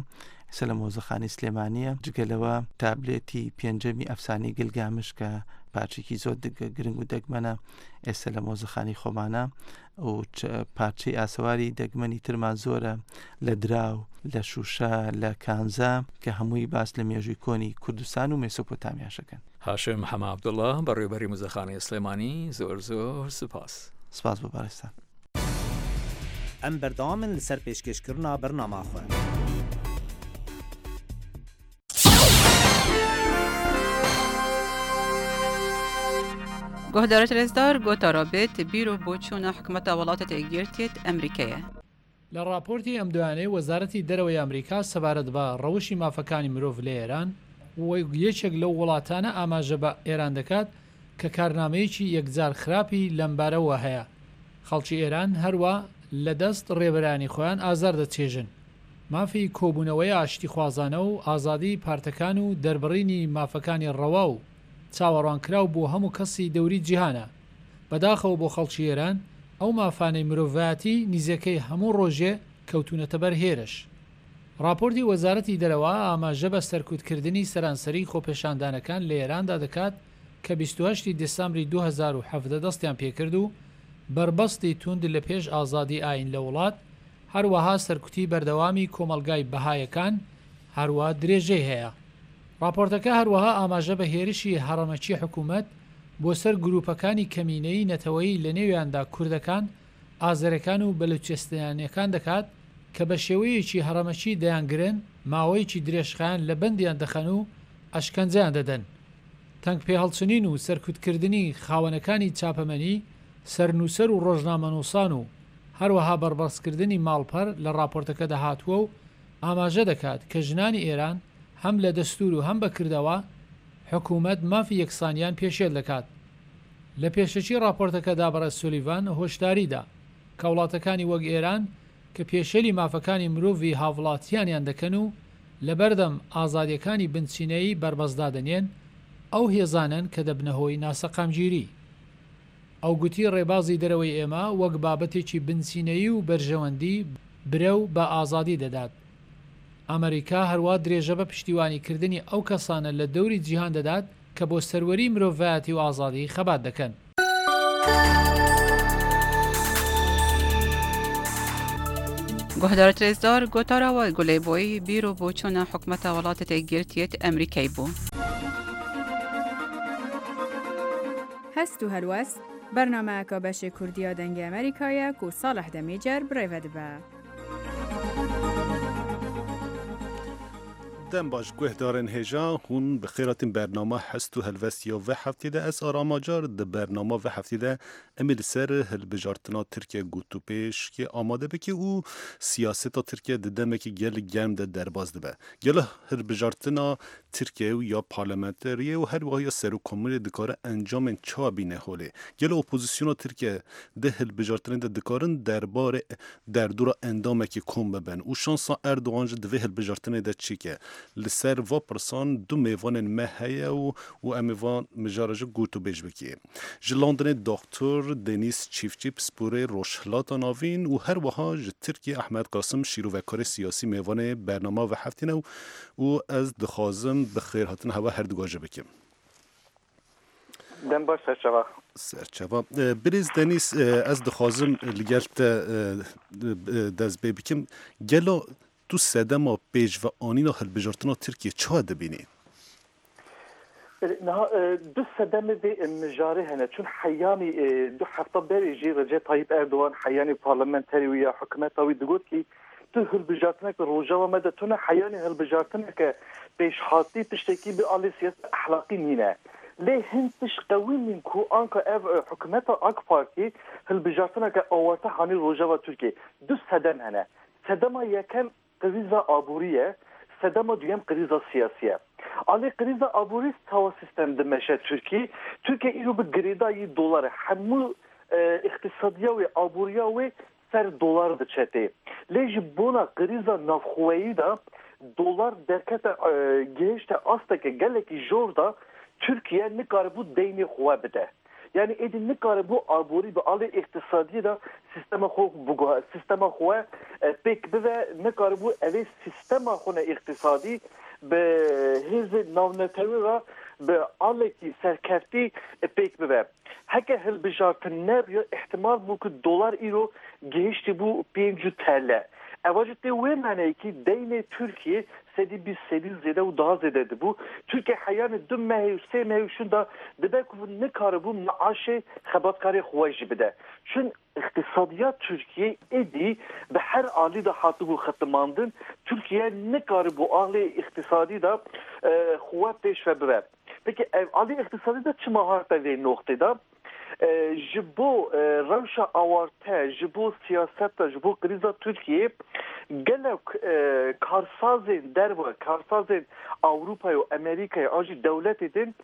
ئێستا لە مۆزەخانەی سلێمانیە. جگە لەوە تابلێتی پێنجەمی ئەفسانەی گلگامش کە پارچێکی زۆر دگ-، گرنگ و دەگمەنە، ئێستا لە مۆزەخانەی خۆمانە. و چ-، پارچەی ئاسەواری دەگمەنی ترمان زۆرە لە دراو، لە شوشە، لە کانزا، کە هەمووی باس لە مێژووی کۆنی کوردستان و مێسۆپۆتامیاش ئەکەن. هاشم حەمە عەبدوڵڵا، بەڕێوەبەری موزەخانەی سلێمانی، زۆر زۆر سپاس. سپاس بۆ بەڕێزتان. ئەم بەردەوامن لەسەر پێشکێشکردنا بەرنامە خۆ. Guhdarêt rêzdar, gotara bêt bîr û boçûna hikûmeta Welatêt Êkgirtiyêt Emerîkeyê. لە ڕاپۆرتی ئەم دوایانەی وەزارەتی دەرەوەی ئەمریکا سەبارەت بە ڕەوشی مافەکانی مرۆڤ لە ئێران، و یەکێک لەو وڵاتانە ئاماژە بە ئێران دەکات کە کارنامەیەکی یەکجار خراپی لەمبارەوە هەیە. خەڵکی ئێران هەروە لە دەست ڕێبەرانی خۆیان ئازار دەچێژن. مافی کۆبوونەوەی ئاشتیخوازانە و ئازادی پارتەکان و دەربڕینی مافەکانی ڕەوا و چاوەڕوانکراو بۆ هەموو کەسی دەوری جیهانە. بەداخەوە بۆ خەڵکی ئێران، ئەو مافانەی مرۆڤایەتی نیزەکەی هەموو ڕۆژێ کەوتونەتە بەر هێرش. راپۆرتی وەزارەتی دەرەوە ئاماژە بە سەرکوتکردنی سەرانسەری خۆپێشاندانەکان لە ئێراندا دەکات کە بیست و هەشتی دەسامبری دوو هەزار و حەڤدە دەستیان پێکرد و بەربەستی توند لە پێش ئازادی ئاین لە وڵات، هەروەها سەرکوتی بەردەوامی کۆمەڵگای بەهایەکان، هەروە درێژەی هەیە. راپۆرتەکە هەروەها ئاماژە بە هێرشی هەڕەمەکی حکوومەت بۆ سەر گروپەکانی کەمینەی نەتەوەیی، لە نێویاندا کوردەکان، ئازەرەکان و بەلوچستانیەکان دەکات کە بە شێوەیەکی هەڕەمەکی دەیانگرن، ماوەیەکی درێژخایەن لە بەندیان دەخەن و ئەشکەنجەیان دەدەن. تەنگ پێهەڵچنین و سەرکوتکردنی خاوەنەکانی چاپەمەنی، سەرنووسەر و ڕۆژنامەنووسان و هەروەها بەربەستکردنی ماڵپەر لە راپۆرتەکەدا هاتووە و ئاماژە دەکات کە ژنانی ئێران هەم لە دەستور و هەم بە کردەوە حکوومەت مافی یەکسانیان پێشێل دەکات. لە پێشەکی راپۆرتەکەدا بەڕێز سولیڤان هۆشداری دا کە وڵاتەکانی وەک ئێران کە پێشێلی مافەکانی مرۆڤی هاوڵاتیانیان دەکەن و لەبەردەم ئازادیەکانی بنچینەیی بەربەست دادەنێن، ئەو هێزانەن کە دەبنە هۆی ناسەقامگیری. ئەو گوتی، ڕێبازی دەرەوەی ئێمە وەک بابەتێکی بنچینەیی و بەرژەوەندی برەو بە ئازادی دەدات. ئەمریکا هەروە درێژە بە پشتیوانیکردنی ئەو کەسانە لە دەوری جیهان دەدات کە بۆ سەروەری مرۆڤایەتی و ئازادی خەبات دەکەن. Guhdarêt rêzdar, gotara we Gulê Boyî bîr û boçûna hikûmeta Welatêt Êkgirtiyêt Emerîkeyê bû. Hest û helwest, bernameyeka beşê Kurdî ya Dengê Emerîkayê ye ku Salih Demîcer bi rê ve dibe. Dem baş guhdarên hêja, hûn bi xêr hatin bernama Hest û Helwest ya vê heftê de. Ez Aram Acar, di bernama vê heftê de em ê li ser hilbijartina Tirkiye gotûbêjkê amade bike û siyaseta Tirkiye di demekî gelek germ de derbas dibe. Gelo hilbijartina Tirkiye û ya parlamenteriyê û her wiha ya serokkomarê dikare encamên çawa bîne holê? Gelo opozisyona Tirkiye di hilbijartinê de dikarin derbarê derdora endamekî kom bibin û şansa Erdogan jî di vê hilbijartinê de çi ke? Li ser va pirsan du mêvanên me heye û, û em ê van mijara jî gotûbêj bikê. Ji Londonê Doktor Denîz Çîftçî, pisporê Rojhilata Navîn û her wiha ji Tirkiyê Ehmed Qasim, şîrovekarê siyasî, mêvanê bernama vê heftê ne û, û ez dixwazim bi xêrhatina hewa herduga jî bikim. Dem baş, serçava. Serçava. E, birêz Denîz, e, ez dixwazim li gel te, e, e, dest pê bikim. Gelo tu sedema pêşveanîna hilbijartina Tirkiyê çawa dibînî? Niha, e, du sedemê vê, e, mijarê hene. Çun heyanî, e, du hefta berê jî Recep Tayyip Erdogan, heyanî parlamenterê wî ya hikûmeta wî digot kî tu hilbijartineke Rojava me de tune, heyanî hilbijartineke pêşhatî tiştekî bi alê siyasî ehlaqî nîne. Lê hin tişt qewimîn ku anka ev, e, hikûmeta AK Partî hilbijartineke awarte hanî Rojava Tirkiyê. Du sedem hene. Sedema yekem krîza aborî ye, sedema duyem krîza siyasî ye. Alê krîza aborî sawa sîstem dimeşe Tirkî. Tirkiye îro bi girêdayî dolar e. Hemû, e, îqtîsadiya wê, aboriya wê ser dolar diçe tê. Lê ji bona krîza navxweyî de dolar derkete, e, gihişte asteke gelekî jor de Tirkiye nikaribû deynê xwe bide. Yani êdî nikaribû aborî bi alê îqtisadiyê de sîstema xwe biguhe-, sîstema xwe, e, pêk bive, nikaribû evê sîstema xwe ne îqtisadî bi hêzê navnetewî re bi alekî serkeftî, e, pêk bive. Heke hilbijartin nebiya, îhtimal bû ku dolar îro gihiştî bû pêncî T L. Eva jî tê wê maneyekî deynê Tirkiyê sedî bîst, sedî zêde û daha zêde dibû. Tirkiye heyanê du mehê û sê mehê û şûn de dibe ku nikaribû maaşê xebatkarê xwe jî bide. Çun îqtisadiya Tirkiyê êdî bi her alî de hatibû xitimandin. Tirkiye nikaribû alê îqtisadî de, e, xwe pêş ve bibe. Peki ev alî îqtisadî de çima hate vê noqtê de? E, ji bo, e, rewşa awarte, ji bo siyaseta, ji bo krîza Tirkiyê gelek, e, karsazên derve, karsazên Ewropayê û Amerîkayê an jî dewletê din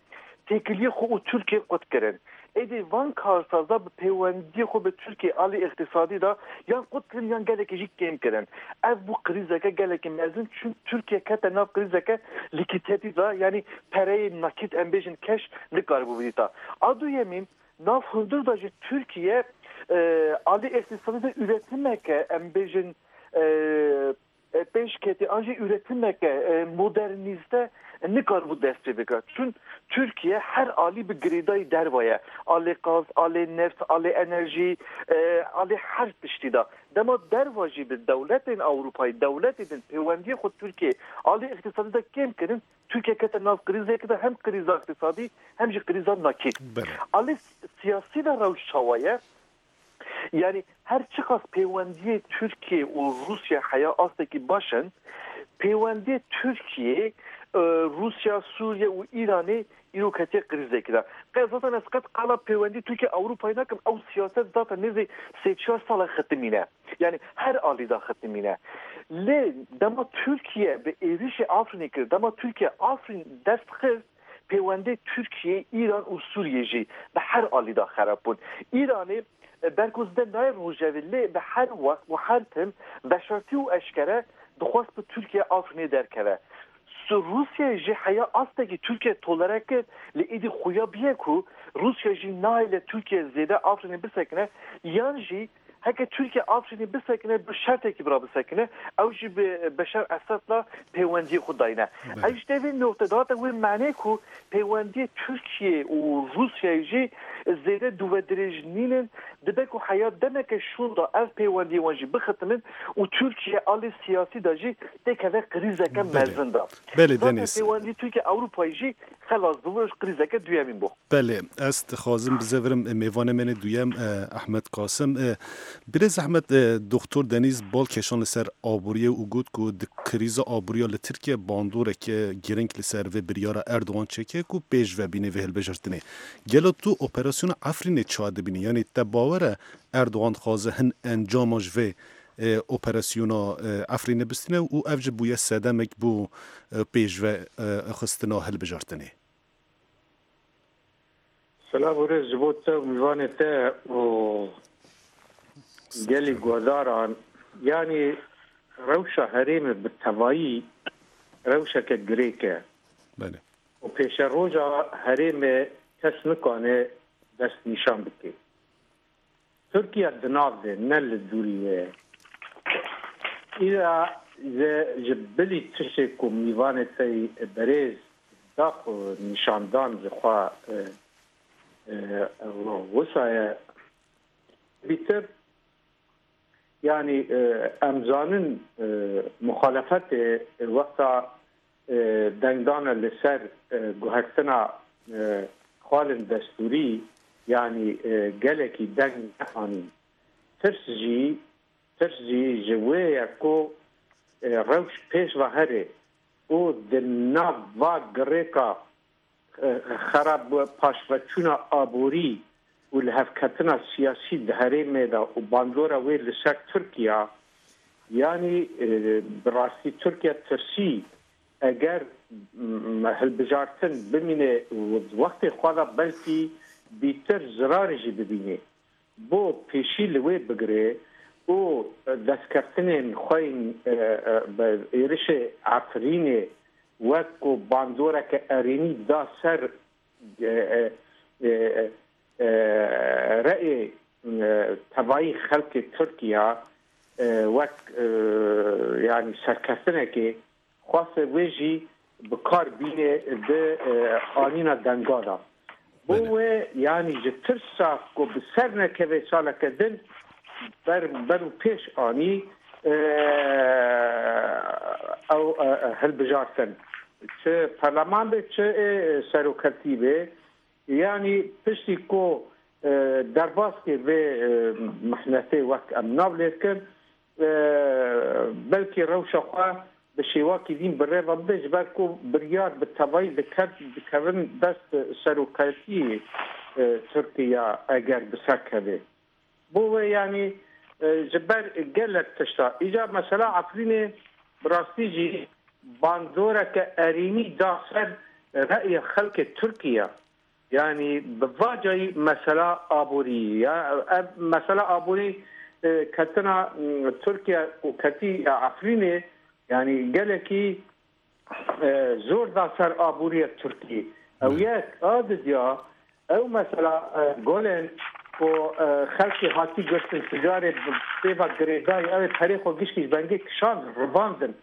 têkiliyê xwe û Tirkiyê qut kirin. Êdî van karsaza bi pêwendiyê xwe bi Tirkiyê alî îqtisadî de yan qut kirin yan gelekî jî kêm kirin. Ev bû krîzeke gelekî mezin, çun Tirkiye kete nav krîzeke lîkîtetî de, yanî pereyê nakît, em bêjin keş, nikaribû bidîta. A duyemîn, nav hundir de jî Tirkiye, e, alî îqtisadî de üretimeke, em bêjin, e, e, pêşketî, an jî üretimeke, e, modernîste nikaribû dest pê bike. Çun Tirkiye her alî bi girêdayî derve ye. Alê gaz, alê neft, alê enerjî, e, alê her tiştî de. Dema derva jî bi dewletên Ewropayî, dewletê din pêwendiyê xwe Tirkiye alê îqtisadî de kêm kirin, Tirkiye kete nav krîzekê de, hem krîza îqtisadî hem jî krîza nakît. Belê. Alê siyasî de rewş çawa ye? Yani her çiqas pêwendiyê Tirkiye û Rûsya heya astekî baş in, pêwendiyê Tirkiye, e, Rûsya, Sûriye û Îranê îro ketiye krîzekî de. Qe-, zaten ez qet qala pêwendî Tirkiye Ewropayê nakim, ew siyaset zaten nêzî sê çar sala xitimîne. Yani her alî de xitimîne. Lê dema Tirkiye bi êrişê Afrînê kir, dema Tirkiye Afrîn dest xist, pêwendê Tirkiye, Îran û Sûriye jî bi her alî de xerab bûn. Îranê, e, ber ku zide nayê rojevê, lê bi her wext û her tim veşartî û eşkere dixwest bi Tirkiye Afrînê derkeve. Su-, Rûsya jî heya astekî Tirkiye tolere kir, lê êdî xuya bîye ku Rûsya jî nahêle Tirkiye zêde Afrînê bisekine, yan jî heke Tirkiye Afrînê bisekine, bi şertekî bi re bisekine, ew jî bi Beşar Esad re pêwendiyê xwe dayne. Belê. Ev ji te vê noqte dihate wê manê ku pêwendiyê Tirkiye û Rûsyayê jî zêde dûvedirêj nînin, dibe ku heya demeke şûn de ev pêwendiyê wan jî bixitinin û Tirkiye alê siyasî de jî têkeve krîzeke Belê. mezin de. Belê, Zaten Denîz. pêwendî Tirkiye Ewropayê jî xelas bû, krîzeke duyemîn bû. Belê, ez dixwazim bizevirim, e, mêvanê me nê duyem, e, Ehmed Qasim. E, birêz Ehmed, e, Doktor Denîz bal keşan li ser aboriyê û got ku di krîza aboriya li Tirkiye bandoreke girîng li ser vê biryara Erdogan çêke ku pêş ve bîne vê hilbijartinê. Gelo tu operasyona Efrînê çawa dibînî? Yanî te bawer e Erdogan dixwaze hin encama ji vê, e, operasyona, e, Efrînê bistîne û ev jî bûye sedemek bo, e, pêş ve, e, xistina hilbijartinê? Silav û rêz ji bo te û mîvanê te û gelî guhdaran. Yanî rewşa herêmê bi tevayî rewşeke girêk e. Belê. Û pêşeroja herêmê kes nikane dest nîşan bike. Tirkiye di nav de, ne li dûrî wê ye. Îra ze ji bilî tiştê ku mîvanê te yî berêz da xwe nîşandan ji xwe, e, e, wisa ye. Bîtir Yanî e, em zanin e, muxalefetê e, wexta e, dengdana li ser e, guhertina e, xalên destûrî, yanî e, gelekî deng neanîn. Tirs jî, tirs jî ji wê ye ku e, rewş pêş ve here û di nav va girêka e, xerab paşveçûna aborî û lihevketina siyasî di herêmê de û bandora wê li ser Tirkiye, yanî e, bi rastî Tirkiye tirsî eger m, hilbijartin bimîne û wextê xwe de belkî bîtir zirarê jî bibîne. Bo pêşî li wê bigire û destkeftinên xwe yên e, e, bi êrişê Efrînê wek ku bandoreke erênî da ser e, e, e, e, reyê e, tevayî xelkê Tirkiye e, wek e, yanî serkeftinekê xweste wê jî bi kar bîne di e, anîna denga de. Bo Belê. wê yanî ji tirsa ku bi ser nekeve saleke din ber, ber û pêş anî e, ew e, e, hilbijartin. Çi perleman be, çi ê seroketî be, yanî piştî ku e, derbas kir vê e, mihnetê wek em nav lê dikin, e, belkî rewşa xwe bi şêwakî din bi rê ve bide, ji ber ku biryar bi tevayî diket, dikevin dest seroketiyê e, Tirkiye eger bi ser keve. Bo wê yanî e, ji ber gelek tişta. Îcar mesela Efrînê bi rastî jî bandoreke erênî da ser reyê xelkê Tirkiye. Yanî bi vacayî mesela aborî ya ev mesela aborî e, ketina m, Tirkiye û ketî ya Efrînê yanî gelekî e, zor da ser aboriya Tirkî. Ew yek a didiya ew mesela e, golên ku e, xelkê hatî girtin ticarê bi pêva girêdayî ew ê perê xwe gişkî ji bengê kişand rivandin.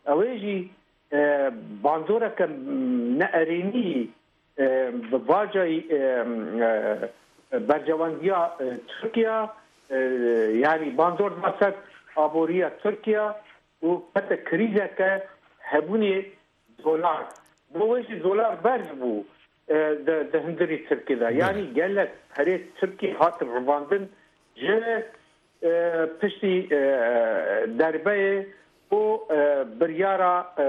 Ew ê jî e, bandoreke neerênî e, bi vacayî e, e, bercewendiya e, Tirkiye e, yanî bandor da ser aboriya Tirkiye û kete krîzeke hebûnê dolar. Bo wê jî dolar berz bû e, di, di hundirî Tirkî de. Belê. Yanî gelek perê Tirkî hat rivandin ji e, piştî e, derbeyê û e, biryara e,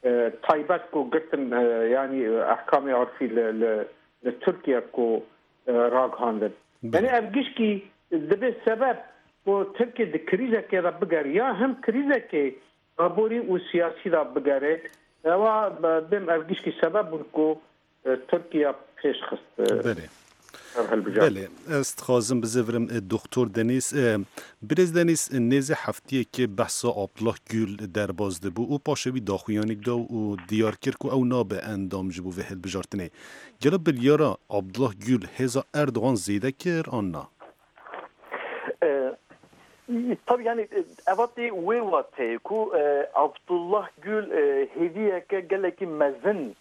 e, taybet ku girtin, e, yanî ehkamê urfî li, li, li Tirkiye ku e, ragihandin. Belê. Yanî ev gişkî dibe sebeb ku Tirkiye di krîzekê de bigere ya him krîzekê aborî û siyasî de bigere. Ewa bêm ev gişkî sebeb bûn ku e, Tirkiye pêş xist. E, Belê. Ev hilbijartin. Belê, ez dixwazim bizivirim e, Doktor Denîz. E, Birêz Denîz, e, nêzê heftiyekê behsa Abdullah Gül derbas dibû û paşê wî daxuyanîk da û diyar kir ku ew nabe endam ji bo vê hilbijartinê. Gelo biryara Abdullah Gül hêza Erdogan zêde kir an na? E, tabii yani e, evatê wê wateyê ku e, Abdullah Gül e, hêviyeke gelekî mezin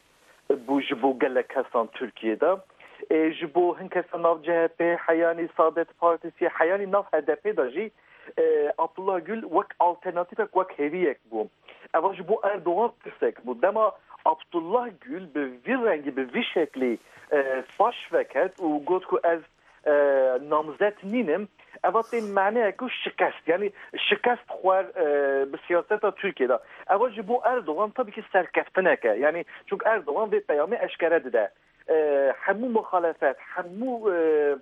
bû ji bo gelek kesan Tirkiyê de. E, ji bo hin kesa nav C H P, heyanî Saadet Partisi, heyanî nav H D P de jî e, Abdullah Gül wek alternatîfek, wek hêviyek bû. Eva ji bo Erdogan tirsek bû. Dema Abdullah Gül bi vî rengî, bi vî şeklî e, paş veket û got ku ez e, namzet nînim, eva tê maneyek û şikest, yanî şikest xwer e, bi siyaseta Tirkiyê de. Eva ji bo Erdogan tabii ki serkeftineke, yanî çünkü Erdogan vê peyamê eşkere dide. E, hemû muxalefet, hemû e,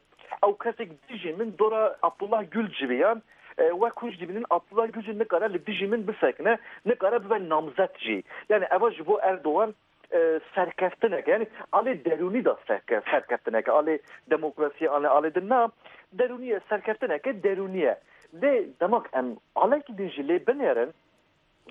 ew kesek dijî min dora Abdullah Gül civiyan, e, wek hûn jî dibînin Abdullah Gül jî nikare li dijî min bisekine, nikare bibe namzet jî. Yani eva ji bo Erdogan e, serkeftineke, yani alê derûnî de serke-, serkeftineke, alê demokrasiyê, alê, alê din na, derûnî ye, serkeftineke derûnî ye. Lê demak em alekî din jî lê binêrin,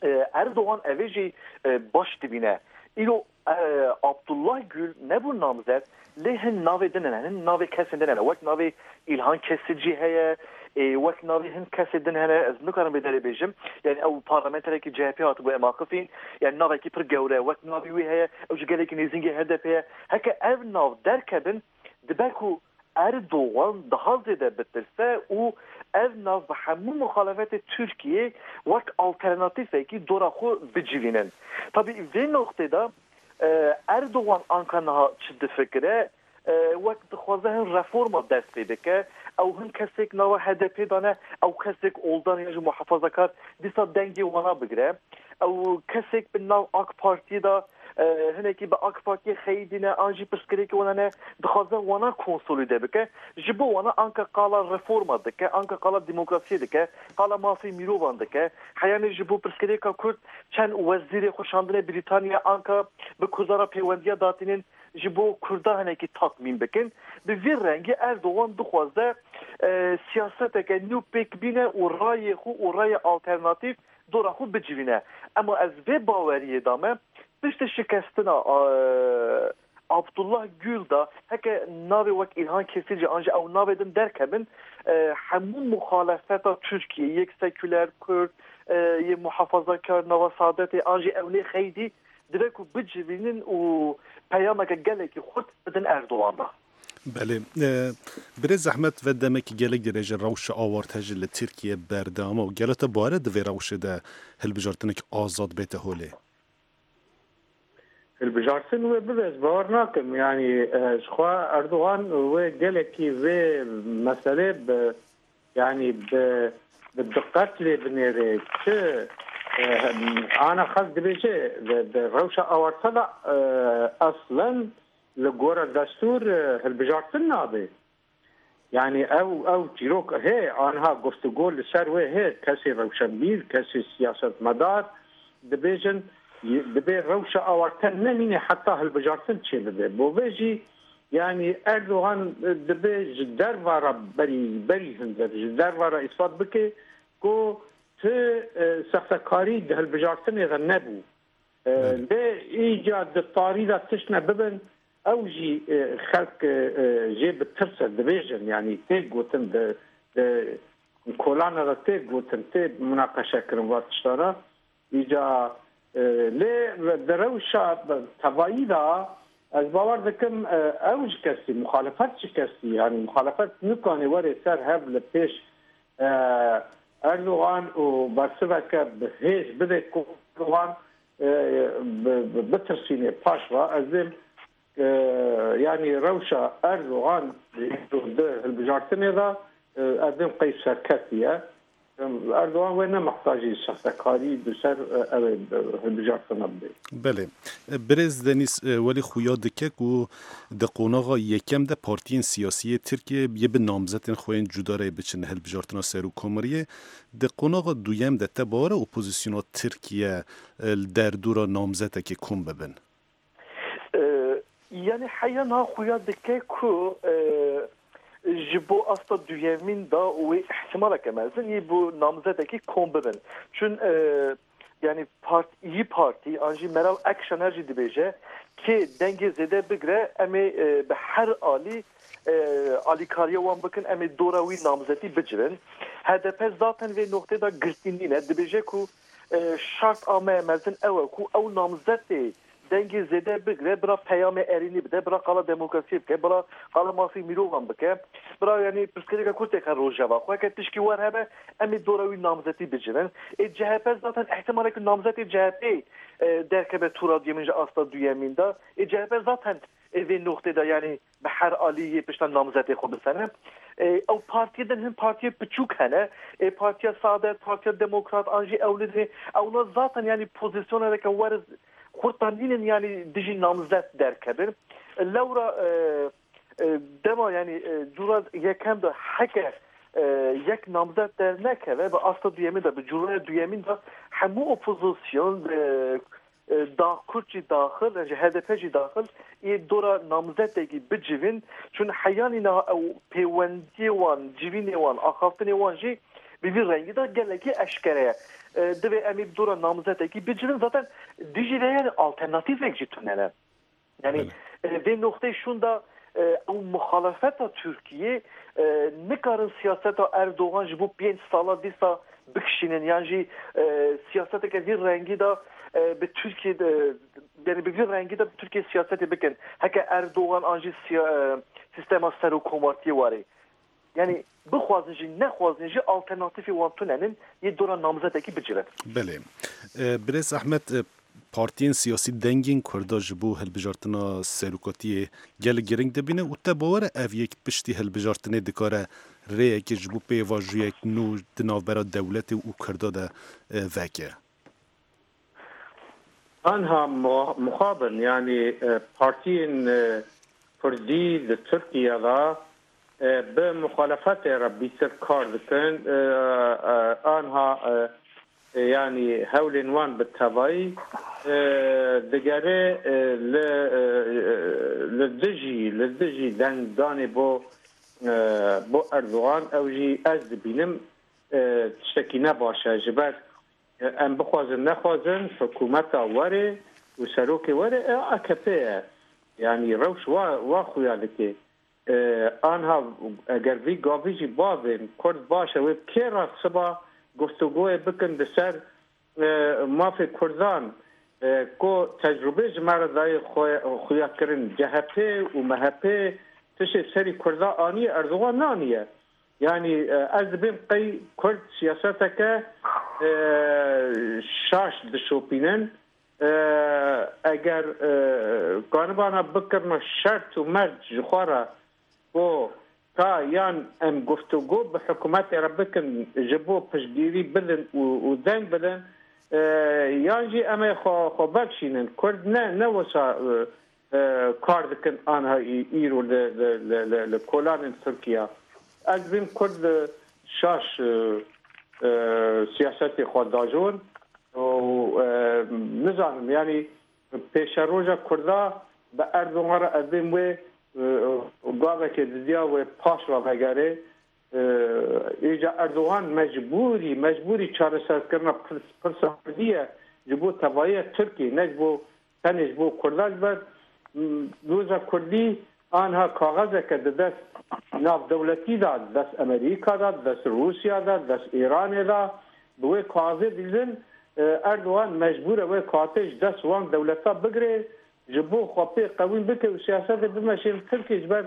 e, Erdogan evê jî e, baş dibîne. Îro e, Abdullah Gül nebû namzet, lê hin navê din hene, hin navê kesên din hene, wek navê Îlhan Kesicî heye, ê, wek navê hin kesê din hene, ez nikarim vê derê bêjim. Yani ew parlamenterekî C H P hatibû, em axifîn. Yani navekî pir gewre, wek navê wî heye, ew ji gelekî nêzîngê H D P ye. Heke ev nav derkevin, dibe ku Erdogan daha zêde bitirse û ev nav bi hemû muxalefetê Tirkiyê wek alternatîfekî dora xwe bicivînin. Tabî vê noqtê de, e, Erdogan anka niha çi difikire? E, wek dixwaze hin reforma dest pê bike, ew hin kesek nava H D P dane, ew kesek oldan ya ji muhafazakar dîsa dengê wana bigire. Ew kesek bi nav AK Partiyê de, e, hinekî bi AK Partiyê xeyidîne, an jî pirsgirêkê wana ne, dixwaze wana konsolîde bike. Ji bo wana anka qala reforma dike, anka qala demokrasiyê dike, qala mafê mirovan dike. Heyanê ji bo pirsgirêka Kurd çend wezîrê xwe şandine Brîtanya, anka bi Kurda re pêwendiya datînin, ji bo Kurda hinekî tatmîn bikin. Bi vî rengî Erdogan dixwaze, e, siyaseteke nû pêk bîne û rayê xwe û rayê alternatîf dora xwe bicivîne. Ema ez vê baweriyê de me, piştî şikestina, e, Abdullah Gül de, heke navê wek Îlhan Kesîcî an jî ew navê din derkevin, e, hemû muxalefeta Tirkiyê, yek seküler, Kurd, e, yê muhafazakar, nava Saadetê an jî ewnê xeydî, divê ku bicivînin û peyameke gelekî xurt bidin Erdogan de. Belê. E, Birêz Zehmet ve demekî gelek dirêj e rewşa awarte jî li Tirkiye berdewam e û gelo te bawer e di vê rewşê de hilbijartinek azad bête holê? Hilbijartin wê bibe, ez bawer nakim. Yanî, e, ji xwe Erdogan wê gelekî vê meselê bi, yanî bi, bi diqet lê binêre. Çi, e, ana xelk dibêje, bi, bi rewşa awarte de, e, eslen li gora destûr, e, hilbijartin nabe. Yanî ew, ew çîrok hê, anha guftûgo li ser wê hê, kesê rewşenbîr, kesê siyasetmedar dibêjin, y-, dibê rewşa awarte nemîne heta hilbijartin çêbibe. Bo vê jî, yanî Erdogan, e, dibê ji derva re berî, berî hundir, ji derva re îspat bike ku ti, e, sextekarî di hilbijartinê de nebû. E, Belê. Lê îca di tarî de tişt ne bibin, ew jî, e, xelk, e, e, jê bi tirs e, dibêjin, yanî tê gotin, di, di kolana de tê gotin, tê munaqeşe kirin va tişta re. Îca, e, lê di rewşa tevayî de ez bawer dikim, e, ew ji kesî, muxalefet ji kesî, yanî muxalefet nikane were ser hev li pêş, e, Erdogan û bersiveke bi hêz bide ku Erdogan, e, bi, bi, bitirsînê paş ve. Ez dêm, e, yanî rewşa Erdogan di, di hilbijartinê de, e, ez dêm qey serketî ye. Erdogan wê ne mihtacî sextekarî di ser, e, ew ê, e, hilbijartina bide. Belê. Birêz Denîz, e, welî xuya dike ku di qonaxa yekem de partiyên siyasî yê Tirkiyê yê bi namzetên xwe yên cuda re biçin hilbijartina serokkomariyê. Di qonaxa duyem de te bawer e opozisyona Tirkiye, e, li derdora namzetekê kom bibin? E, yanî heya niha xuya dike ku, e, ji bo asta duyemîn de wê ihtimaleke mezin yê bo namzetekî kom bibin. Çun, e, yanî part-, yî partî, an jî Meral Akşener jî dibêje, kê dengê zêde bigre, em ê, e, bi her alî, e, alîkariya wan bikin, em ê dora wî namzetî bicivin. H D P zaten vê noqtê de girtî nîne. Dibêje ku, e, şart a me mezin ew e ku ew namzetê dengê zêde bigire, bira peyamê erênî bide, bira qala demokrasiyê bike, bira qala mafê mirovan bike, bira, yanî, pirsgirêka Kurd têxe rojeva xwe. Heke tişkî wer hebe, em ê dora wî namzetî bicivin. Ê C H P zaten ihtimaleke namzetê C H P, e, derkeve tura duyemîn ji asta duyemîn de. Ê C H P zaten, e, vê noqtê de, yanî, bi her alî yê pişta namzetê xwe bisene. E, ew partiyê din hin partiyê piçûk hene. E, Partiya Saadet, Partiya Demokrat, an jî ew nidinê. Ewna zaten, yanî, pozîsyoneke weriz xurta nînin, yanî, dijî namzet derkevin. Lewra, e, e, dema, yanî, e, cura yekem de heke, e, yek namzet dernekeve, bi asta duyemîn de, bi curaya duyemîn de hemû opozîsyon, e, e, da Kurd jî daxil, ji H D P jî daxil, ê dora namzetekî bicivin, çun heyanî niha ew pêwendiyê wan, civînê wan, axaftinê wan jî bi vî rengî de gelekî eşkere ye. E, divê em ê dora namzetekî bicivin, zaten dijî vê, yanî, alternatîfek jî tune ne. Yanî, Belê. e, vê noqteyê şûn de, e, ew muxalefeta Tirkiyê, e, nikarin siyaseta Erdogan ji bo pênc sala dîsa bikişînin, yan jî, e, siyaseteke vî rengî de, e, bi Tirkiyê de, Yani bi vî rengî de bi Tirkiye siyasetê bikin. Heke Erdogan an jî siya-, e, sîstema serokkomartiyê warê. Yani bixwazin jî, nexwazin jî, alternatîfê wan tune nin, yê dora namzetekî bicirin. Belê. E, Birêz Ehmed, e, partiyên siyasî dengên Kurda ji bo hilbijartina serokatiyê gelek giring dibîne û te bawer e ev yek piştî hilbijartinê dikare rêyekê ji bo pêvajoyek nû di navbera dewletê û Kurda de, e, veke? Anha mu-, muxabin, yani, e, partiyên, e, Kurdî di Tirkiye de, e, bi muxalefetê re bîtir kar dikin. E, e, anha, e, e, yani hewlên wan bi tevayî, e, digere, e, li, e, li dijî, li dijî dengdanê bo, e, bo Erdogan, ew jî ez dibînim, e, tiştekî ne baş e. Ji ber Em bixwazin nexwazin, hikûmeta werê û serokê werê, e, A K P ye. Yanî rewş wa, wa xuya dike. E, anha eger vî gavî jî bavên Kurd baş e, wê bi kê re siba guftûgoyê bikin di ser, e, mafê Kurdan, e, ku tecrûbê ji me re dayê xwe-, xuya kirin C H P û M H P tişê serî Kurda aniye, Erdogan naniye. Yanî, e, ez dibêm qey Kurd siyaseteke, e, şaş dişopînin. E, eger, e, kanibana bikirine şert û mert ji xwe re ku ka yan em guftûgo bi hikûmetê re bikin ji bo piştgirî bidin û, û deng bidin, e, yan jî em ê xwe, xwe bikişînin. Kurd ne, ne wisa, e, e, kar dikin anha î-, îro li, li, li, li, li kolanên Tirkiye. Ez bim Kurd, e, şaş, e, e, siyasetê xwe dajon û, e, nizanim, yanî pêşeroja Kurda bi Erdogan re ez bim wê, e, gavekê didiya wê paş ve vegerê. E, îca Erdogan mecbûrî, mecbûrî çareserkirina pirs-, pirsa Kurdî ye ji bo tevahiya Tirkiyê, ne ji bo tenê ji bo Kurdan. Ji ber, m, doza Kurdî anha kaxezeke di dest navdewletî de, di dest Amerîka de, di dest Rûsya de, di dest Îranê de, bi wê kaxezê dibînin, e, Erdogan mecbûr e wê kaxezê ji dest wan dewleta bigire, ji bo xwe pê qewîn bike û siyasetê bimeşîne Tirkiyê. Ji ber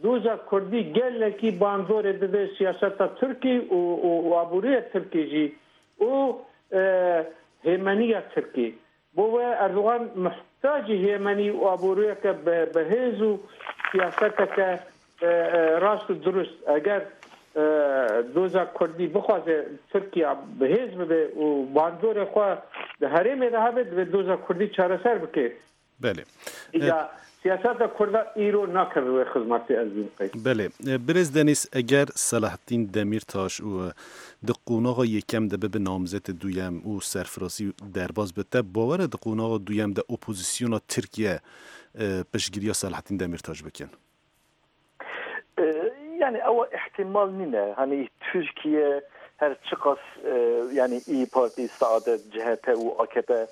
doza Kurdî gelekî bandorê dide siyaseta Tirkî û, û, û aboriya Tirkî jî û, e, hêmeniya Tirkî. Bo wê Erdogan muhtacî hêmenî û aboriyeke bi, bi hêz û siyaseteke, e, e, rast û dirust. Eger, e, doza Kurdî bixwaze Tirkiye bi hêz bibe û bandorê xwe di herêmê de hebe, divê doza Kurdî çareser bike. Belê. Îca, e, siyaseta Kurda îro nakeve wê xizmetê, ez bim qey. Belê. E, Birêz Denîz, eger Selahattin Demirtaş û, e, di qonaxa yekem de bibe namzetê duyem û serfirasî derbas be, te bawer e di qonaxa duyem de opozisyona Tirkiye, e, piştgiriya Selahattin Demirtaş bikin? E, yani ewa ihtimal nîne. Hani Türkiye her çiqas, e, yani İYİ Parti, Saadet, C H P û A K P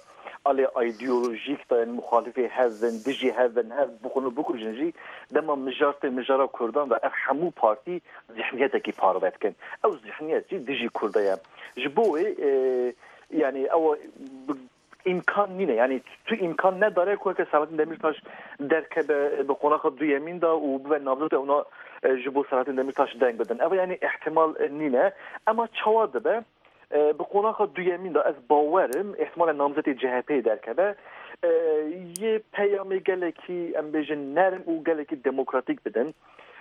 alê ideolojik de, yani muxalifê hev bin, dijî hev bin, hev bixwin û bikujin jî, dema mijar tê mijara Kurdan ve ev hemû partî zihniyetekî parve dikin. Ew zihniyet jî dijî Kurda ye. Ji bo wê, e, yani ew bi-, îmkan nîne. Yani tu îmkan nedare ku weke Selahattin Demirtaş derkeve bi qonaxa duyemîn de û bibe namzet û ona, e, ji bo Selahattin Demirtaş deng bidin. Ev yani ihtimal, e, nîne. Ema çawa dibe? E, bi qonaxa duyemîn de ez bawer im, ihtimalen namzetê C H P'yê derkeve. E, yê peyamê gelekî, em bêjin, nerm û gelekî demokratîk bidin.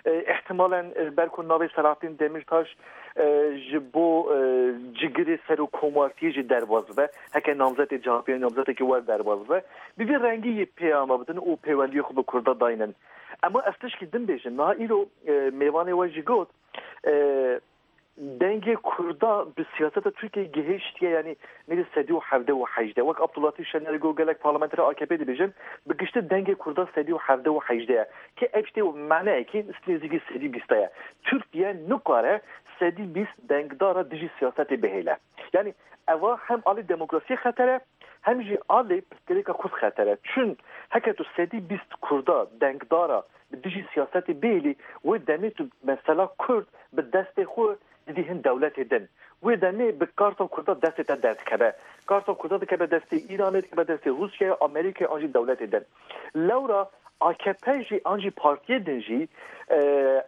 E, ihtimalen, e, ber ku navê Selahattin Demirtaş, e, ji bo, e, cigirê serokkomartiyê jî derbas bibe, heke namzetê C H P'yê namzetekî wer derbas bibe, bi vî rengî yê peyama bidin û pêwendiyê xwe bi Kurda daynin. Ema ez tişkî din bêjim, niha îro, e, mêvanê we jî got, e, dengê Kurda bi siyaseta Tirkiyeyê gihiştiye, yanî nêzî sedî û hevdeh û hejdeh. Wek Abdullatîf Şener got, gelek parlamenterê A K P dibêjin, bi giştî dengê Kurda sedî û hevdeh û hejdeh ye. Ke ev tiştê maneyekî nêzîkî sedî bîst ye. Tirkiye nikare sedî bîst dengdara dijî siyasetê bihêle. Yanî eva hem alî demokrasiyê xeter e, hem jî alê pirsgirêka Kurd xeter e. Çün heke tu sedî bîst Kurda dengdara bi dijî siyasetê bihêlî, wê demê tu mesela Kurd bi destê xwe didî hin dewletê din. Wê demê bi karta Kurda destê te derdikeve. Karta Kurda dikeve destê Îranê, dikeve destê Rûsyayê, Amerîkayê an jî dewletê din. Lewra A K P jî an jî partiyê din jî, e,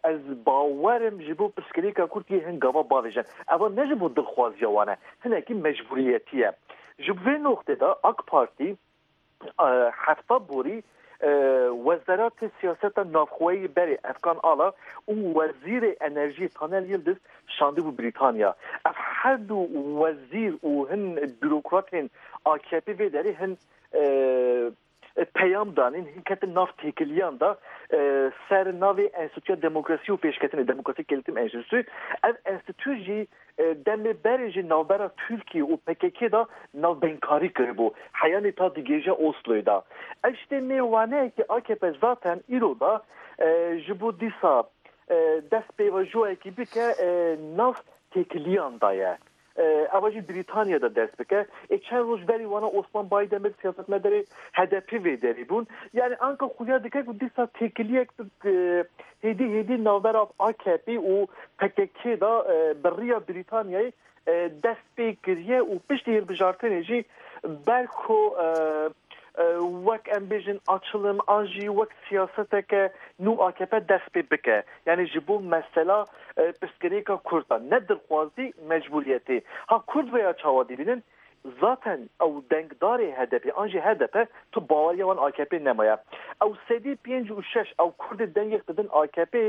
ez bawer im ji bo pirsgirêka Kurd yê hin gava bavêjin. Eva ne ji bo dilxwaziya wan e, hinekî mecbûriyetî ye. Ji bo vê noqtê de A K Partî, e, hefta borî, e, Wezeratê Siyaseta Navxweyî berê Efkan Ala û Wezîrê Enerjiyê Taner Yildiz şandibû Brîtanya. Ev her du wezîr û hin bürokratên A K P vê derê hin, e, peyam danîn, hin ketin nav têkiliyan de, e, ser navê Enstitûya Demokrasî û Pêşketinê, Demokratik Gelişim Enstitüsü. Ev enstitû jî, e, demê berê jî navbera Tirkiye û P K K de navbeynkari kiribû. Heyanê ta digêje Osloyê de. Ev ji tê mêwaneyekî A K P zaten îro de, e, ji bo dîsa, e, dest pêvajoyekî bike, e, nav têkiliyan daye. E, eva jî Brîtanya de dest bike. Ê çend roj berî wana Osman Baydemir siyasetmedarê H D P vê derê bûn. Yani anka xuya dike ku dîsa têkiliyek bi, e, hêdî hêdî navbera A K P û P K K de, e, bi riya Brîtanyayê, e, dest pê kiriye û piştî hilbijartinê jî ber ku, e, e, wek em bêjin açilim an jî wek siyaseteke nû A K P dest pê bike. Yani ji bo mesela, e, pirsgirêka Kurd e, ne dilxwazî, mecbûriyetê. Ha Kurd vêya çawa dibînin? Zaten ew dengdarê H D P an jî H D P tu baweriya wan A K P nemaye. Ew sedî pêncî û şeş ew Kurdê dengek didin A K P,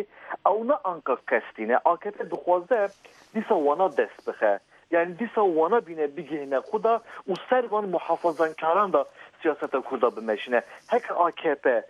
ew ne anka kestî ne. A K P dixwaze dîsa wana dest bixe. Yani dîsa wana bîne bigihîne xwe de û ser van muhafazankaran de siyaseta Kurda bimeşîne. Heke A K P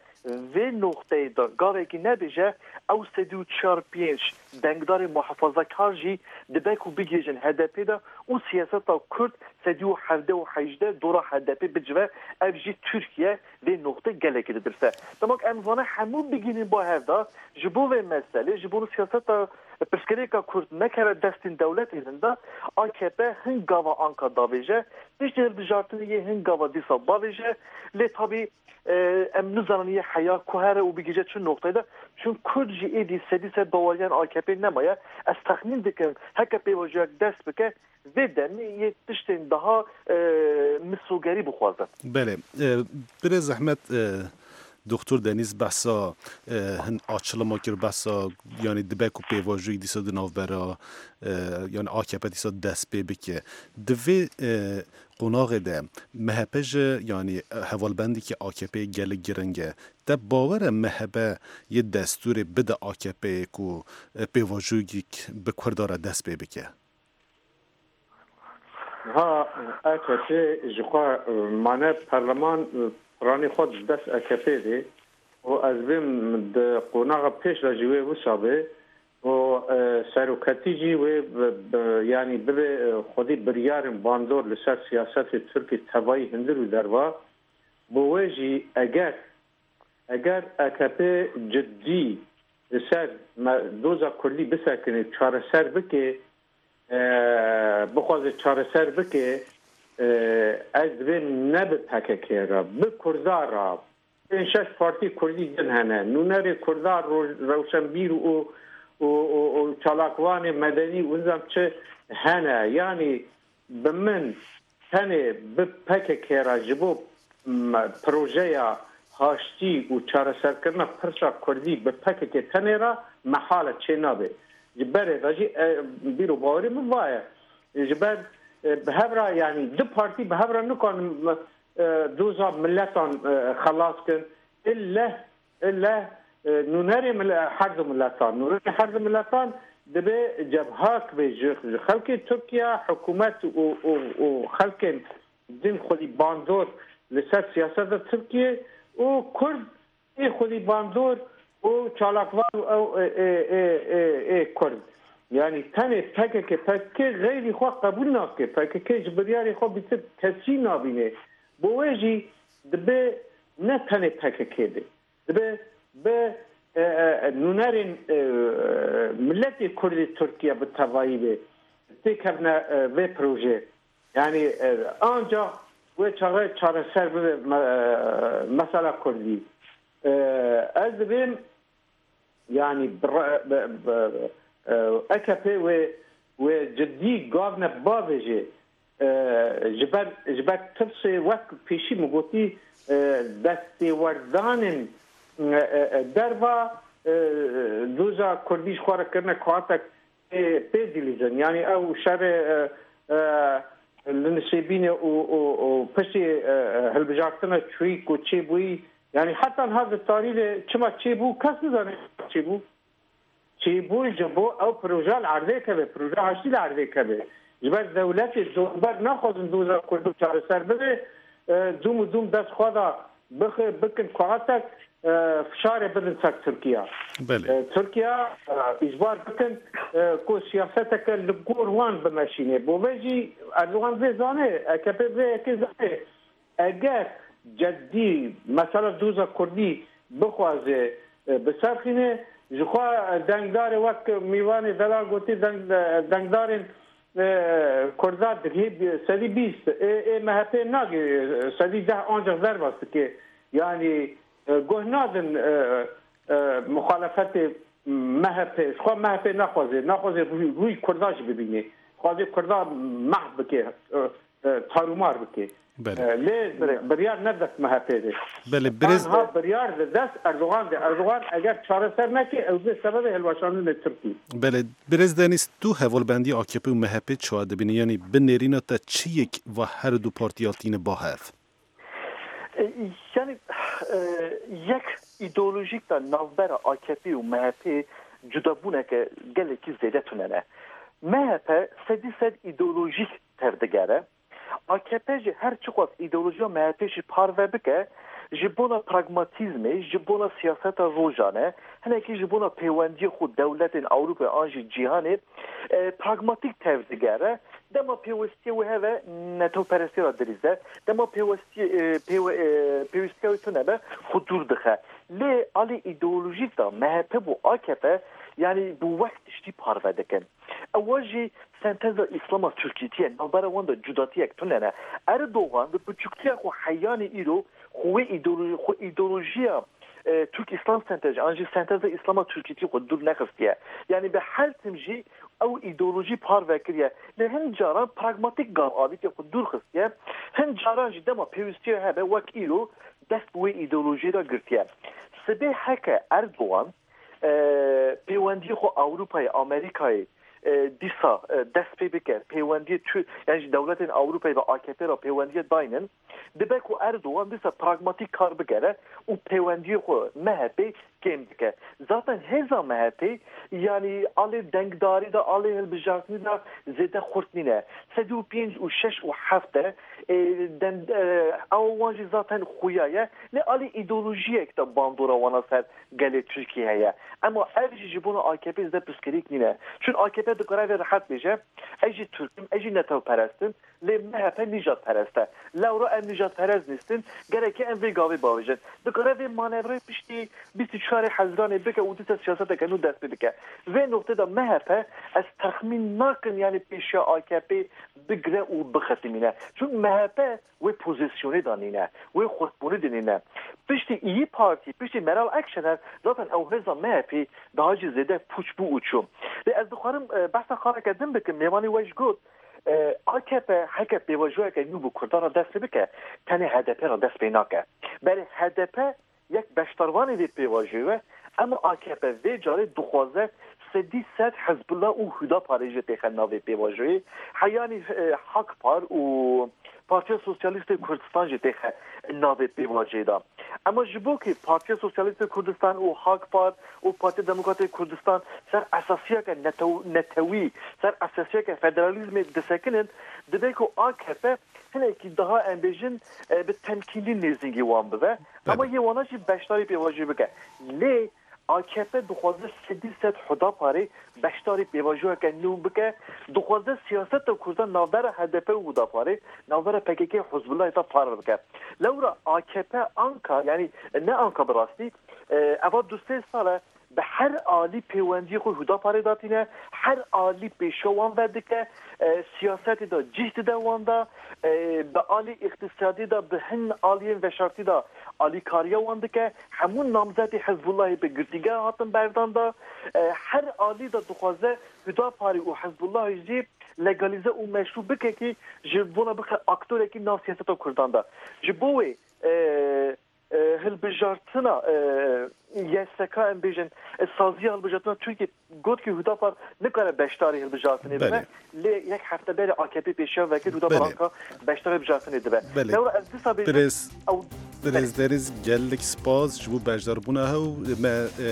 vê noqteyê de gavekî nebêje, ew sedî û çar pênc dengdarê muhafazakar jî dibe ku bigihêjin H D P de û siyaseta Kurd sedî û hevdeh û hejdeh dora H D P bicive, ev jî Tirkiye vê noqtê gelekî didirse. Dema ku em vana hemû bigihînin ba hev de, ji bo vê meselê, ji bo siyaseta pirsgirêka Kurd nekeve destên dewletê din de, A K P hin gava anka davêje, piştî hilbijartinê yê hin gava dîsa bavêje, lê tabî, e, em nizanin yê heya ku here û bigihîje çi noqteyê de, çun Kurd jî êdî sedî sed baweriyan A K P nemaye. Ez texmîn dikim, heke pêvajoyek dest bike, vê demê yê tiştên daha, e, misogerî bixwazin. Belê. E, birêz zehmet, e, Doktor Denîz behsa, e, hin açilima kir, behsa, yani dibe ku pêvajoyî dîsa di navbera, e, yani A K P dîsa dest pê bike. Di vê, e, qonaxê de M H P ji, yani hevalbendekî A K P gelek giring e. Te bawer e M H P yê destûrê bide A K P ku, e, pêvajoyek bi Kurda re dest pê bike? Ha, A K P ji xwe, e, mane perleman, e, piranî xwe di dest A K P de û ez bêm di qonaxa pêş de jî wê wisa be û, e, seroketî jî wê bi, bi, yanî bibe, e, xwedî biryarên bandor li ser siyasetê Tirkiyê tevayî hundir û derva. Bo wê jî eger, eger A K P cidî li ser me, doza Kurdî bisekine, çareser bike, e, bixwaze çareser bike, e, ez divêm ne bi P K K re, bi Kurda re, pênc şeş partî Kurdî din hene, nûnerê Kurda, roj-, rewşenbîr û, û, û, û çalakvanê medenî û nizam çi hene. Yanî bi min tenê bi P K K re ji bo, m, projeya haştî û çareserkirina pirsa Kurdî bi P K K tenê re mehal e, çênabe. Ji berê de jî, e, bîr û bawerî min va ye. Ji ber, e, bi hev re, yanî du partî bi hev re nikarin, e, doza miletan, e, xelas kin. Illeh, illeh, e, nûnerê mile-, her du miletan, nûnerê her du miletan dibe cebhak be ji, ji xelkê Tirkiye, hikûmet û, û, û xelkên din xwedî bandor li ser siyaseta Tirkiye û Kurd ê xwedî bandor û çalakvan û ew ê, ê, ê, ê, ê Kurd. Yanî tenê P K K, P K K xeyrî xwe qebûl nake. P K K ji biryarê xwe bîtir kesî nabîne. Bo wê jî dibe ne tenê P K K be. Dibe bi, e, e, nûnerên, e, miletê Kurdê Tirkiye bi tevayî be têkevne, e, vê projeyê. Yanî, e, ancax wê çaxê çareser bibe me-, e, mesela Kurdî. E, ez dibêm, yanî, bi re-, bi, bi, e, A K P wê wê cidî gavne bavêje. E, ji ber, ji ber tirsê, wek pêşî min gotî, e, destêwerdanên, e, e, e, derva, e, doza Kurdî ji xwe re kirine kuatek pê, pê dilîzin. Yanî ew şerê, e, e, li Nisêbînê û, û, û piştî, e, e, hilbijartina çûyî ku çêbûyî, yanî heta niha di tarî de çima çêbû, kes nizane çêbû. Çêbû ji bo ew proje li erdê keve, proje aştî li erdê keve. Ji ber dewletê dorber naxwazin doza Kurdo çareser bibe, e, dûm û dûm dest xwe da bixe, bikin kuatek, e, fişarê bidin ser Tirkiye. Belê. E, Tirkiye, e, îcbar bikin, e, ku siyaseteke li gor wan bimeşîne. Bo vê jî Erdogan vê zane, A K P vê yekê zane. Eger cedî mesela doza Kurdî bixwaze, e, biserxîne, ji xwe dengdarê wek Mîvanê Delal gotî, deng-, dengdarên, e, Kurda digihê sedî bîst, ê, ê M H P nagê sedî deh ancaq derbas dike. Yanî, e, guh nadin, e, e, muxalefetê M H P. Ji xwe M H P naxwaze, naxwaze rûy, rûy Kurda jî bibîne. Dixwaze Kurda mehv bike, e, e, tarûmar bike. Belê. E, lê biryar ne dest M H P de. Belê, birêz Tanha biryar di dest Erdogan de. Erdogan eger çareser neke, ew dê sebebê hilweşandinê Tirkî. Belê, birêz Denîz, tu hevalbendî A K P û M H P çawa dibînî? Yanî bi nêrîna te çi yek va her du partî hatîne ba hev? E, yanî, e, yek îdeolojîk de navbera A K P û M H P cudabûneke gelekî zêde tune ne. M H P sedî sed îdeolojîk tevdigere. A K P jî her çiqas îdeolojiya M H P jî parve bike, ji bona pragmatîzmê, ji bona siyaseta rojane, hinekî ji bona pêwendiyê xwe dewletên Ewropayê an jî cîhanê, e, pragmatîk tevdigere. Dema pêwestiyê wê hebe, netewperestiyê re dirîze. Dema pêwestiyê, e, pêwe-, e, pêwîstiya wê tune be, xwe dûr dixe. Lê alî îdeolojîk de M H P bo A K P, yanî bo wek tiştî parve dikin. Ewa jî senteza Îslama Tirkîtî ye, navbera wan de cudatiyek tune ne. Erdogan bi piçûktiya xwe heyanî îro xwe wê îdeolo-, xwe îdeolojiya, e, Türk İslam sentezi, an jî senteza Îslama Tirkîtî xwe dûr nexistiye. Yanî bi her tim jî ew îdeolojî parve kiriye. Lê hin caran pragmatîk gav avîtiye xwe dûr xistiye. Hin caran jî dema pêwîstiye hebe wek îro dest bi wê îdeolojiyê de girtiye. Sibê heke Erdogan, e, pêwendiyê xwe Ewropayê, Amerîkayê, e, dîsa, e, dest pê bike, pêwendiyê tu, yan jî dewletên Ewropayê ve A K P re pêwendiyê daynin, dibe ku Erdogan dîsa pragmatîk kar bigere û pêwendiyê xwe M H P kêm dike. Zaten hêza M H P, yanî alê dengdarî de, alê hilbijartinî de zêde xurt nîne. Sed û pênc û şeş û heft de, e, dem-, e, ew wan jî zaten xuya ye. Lê alî îdeolojiyek de bandora wana ser gelê Tirkiyê heye. Ema ev jî ji bona A K P zêde pirsgirêk nîne. Çun A K P dikare vê rehet bêje, ez jî Tirk im, ez jî netewperest im. Lê M H P nîjadperest e. Lewra em nîjadperest nîstin, gereke em vê gavê bavêjin. Dikare vê manevrayê piştî bîst û çarê Hezîranê bike û dîsa siyaseteke nû dest pê bike. Vê noqtê de M H P ez texmîn nakim, yanî pêşiya A K P bigire û bixetimîne. Çunku M H P wê pozîsyonê de nîne, wê xurtbûnê de nîne. Piştî İYİ Partî, piştî Meral Akşener zaten ew hêza M H P daha jî zêde pûç bû û çû. Lê ez dixwarim, e, behsa xaleke din bikim, mêvanê we jî got, E, A K P heke pêvajoyeke nû bi Kurdan re dest pê bike, tenê H D P re dest pê nake. Berê H D P yek beşdarvanê vê pêvajoyê ye, ema A K P vê carê dixwaze sedî sed Hizbullah û Hudaparê jî têxe navê pêvajoyê. Heyanî, e, Hakpar û Partiya Sosyalîstê Kurdistan jî têxe navê pêvajoyê de. Ema ji bo ku Partiya Sosyalîstê Kurdistan û Hakpar û Partiya Demokratê Kurdistan ser esasiyeke netew-, netewî, ser esasiyeke federalîzmê disekinin, dibe ku A K P hinekî daha, em bêjin, e, bi temkînî nêzîngî wan bibe. Ema Belê. Yê wana jî beşdarî pêvajoyê bike. Lê A K P dixwaze sedî sed Hudaparê beşdarî pêvajoyeke nû bike, dixwaze siyaseta Kurdan navbera H D P û Hudaparê, navbera P K K û Hizbullahê de parve bike. Lewra A K P anka, yanî ne anka bi rastî, e, eva du sê sal e bi her alî pêwendiyê xwe Hudaparê datîne, her alî pêşiya wan vedike, e, siyasetê de cih dide wan de, e, bi alî îqtisadî de, bi hin aliyên veşartî de alîkariya wan dike. Hemû namzetê Hizbullahê bi girtîgeha hatin berdan da. E, her alî de dixwaze Hudaparê û Hizbullahê jî legalîze û meşrû bike kî ji bona bixe aktorekî nav siyaseta Kurdan de. Ji bo wê, e, e, hilbijartina, e, Y S K, em bêjin, e, saziya hilbijartina Tirkiye got ki Hudapar nikare beşdarî hilbijartinê bibe. Belê. Lê yek hefte berê A K P pêşiya vekir Hudapar Belê. Anka beşdarî hilbijartinê dibe. Belê. Lewra ez disa bêjim, Birêz, ew birêz Deniz, gelek spas ji bo beşdarbûna hew. Me, e,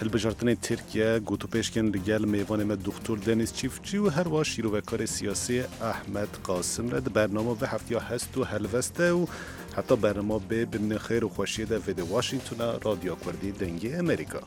hilbijartinê Tirkiye gotûpêşkin li gel mêvanê me Doktor Deniz Çiftçi û her wa şîrovekarê siyasî Ahmet Qasim re di bernama vê heftiya hest û helvest e û heta bernama bê, bimînin xêr û xweşiyê de. Vê de Washingtona, Radyo Kurdî, Dengê Amerîka.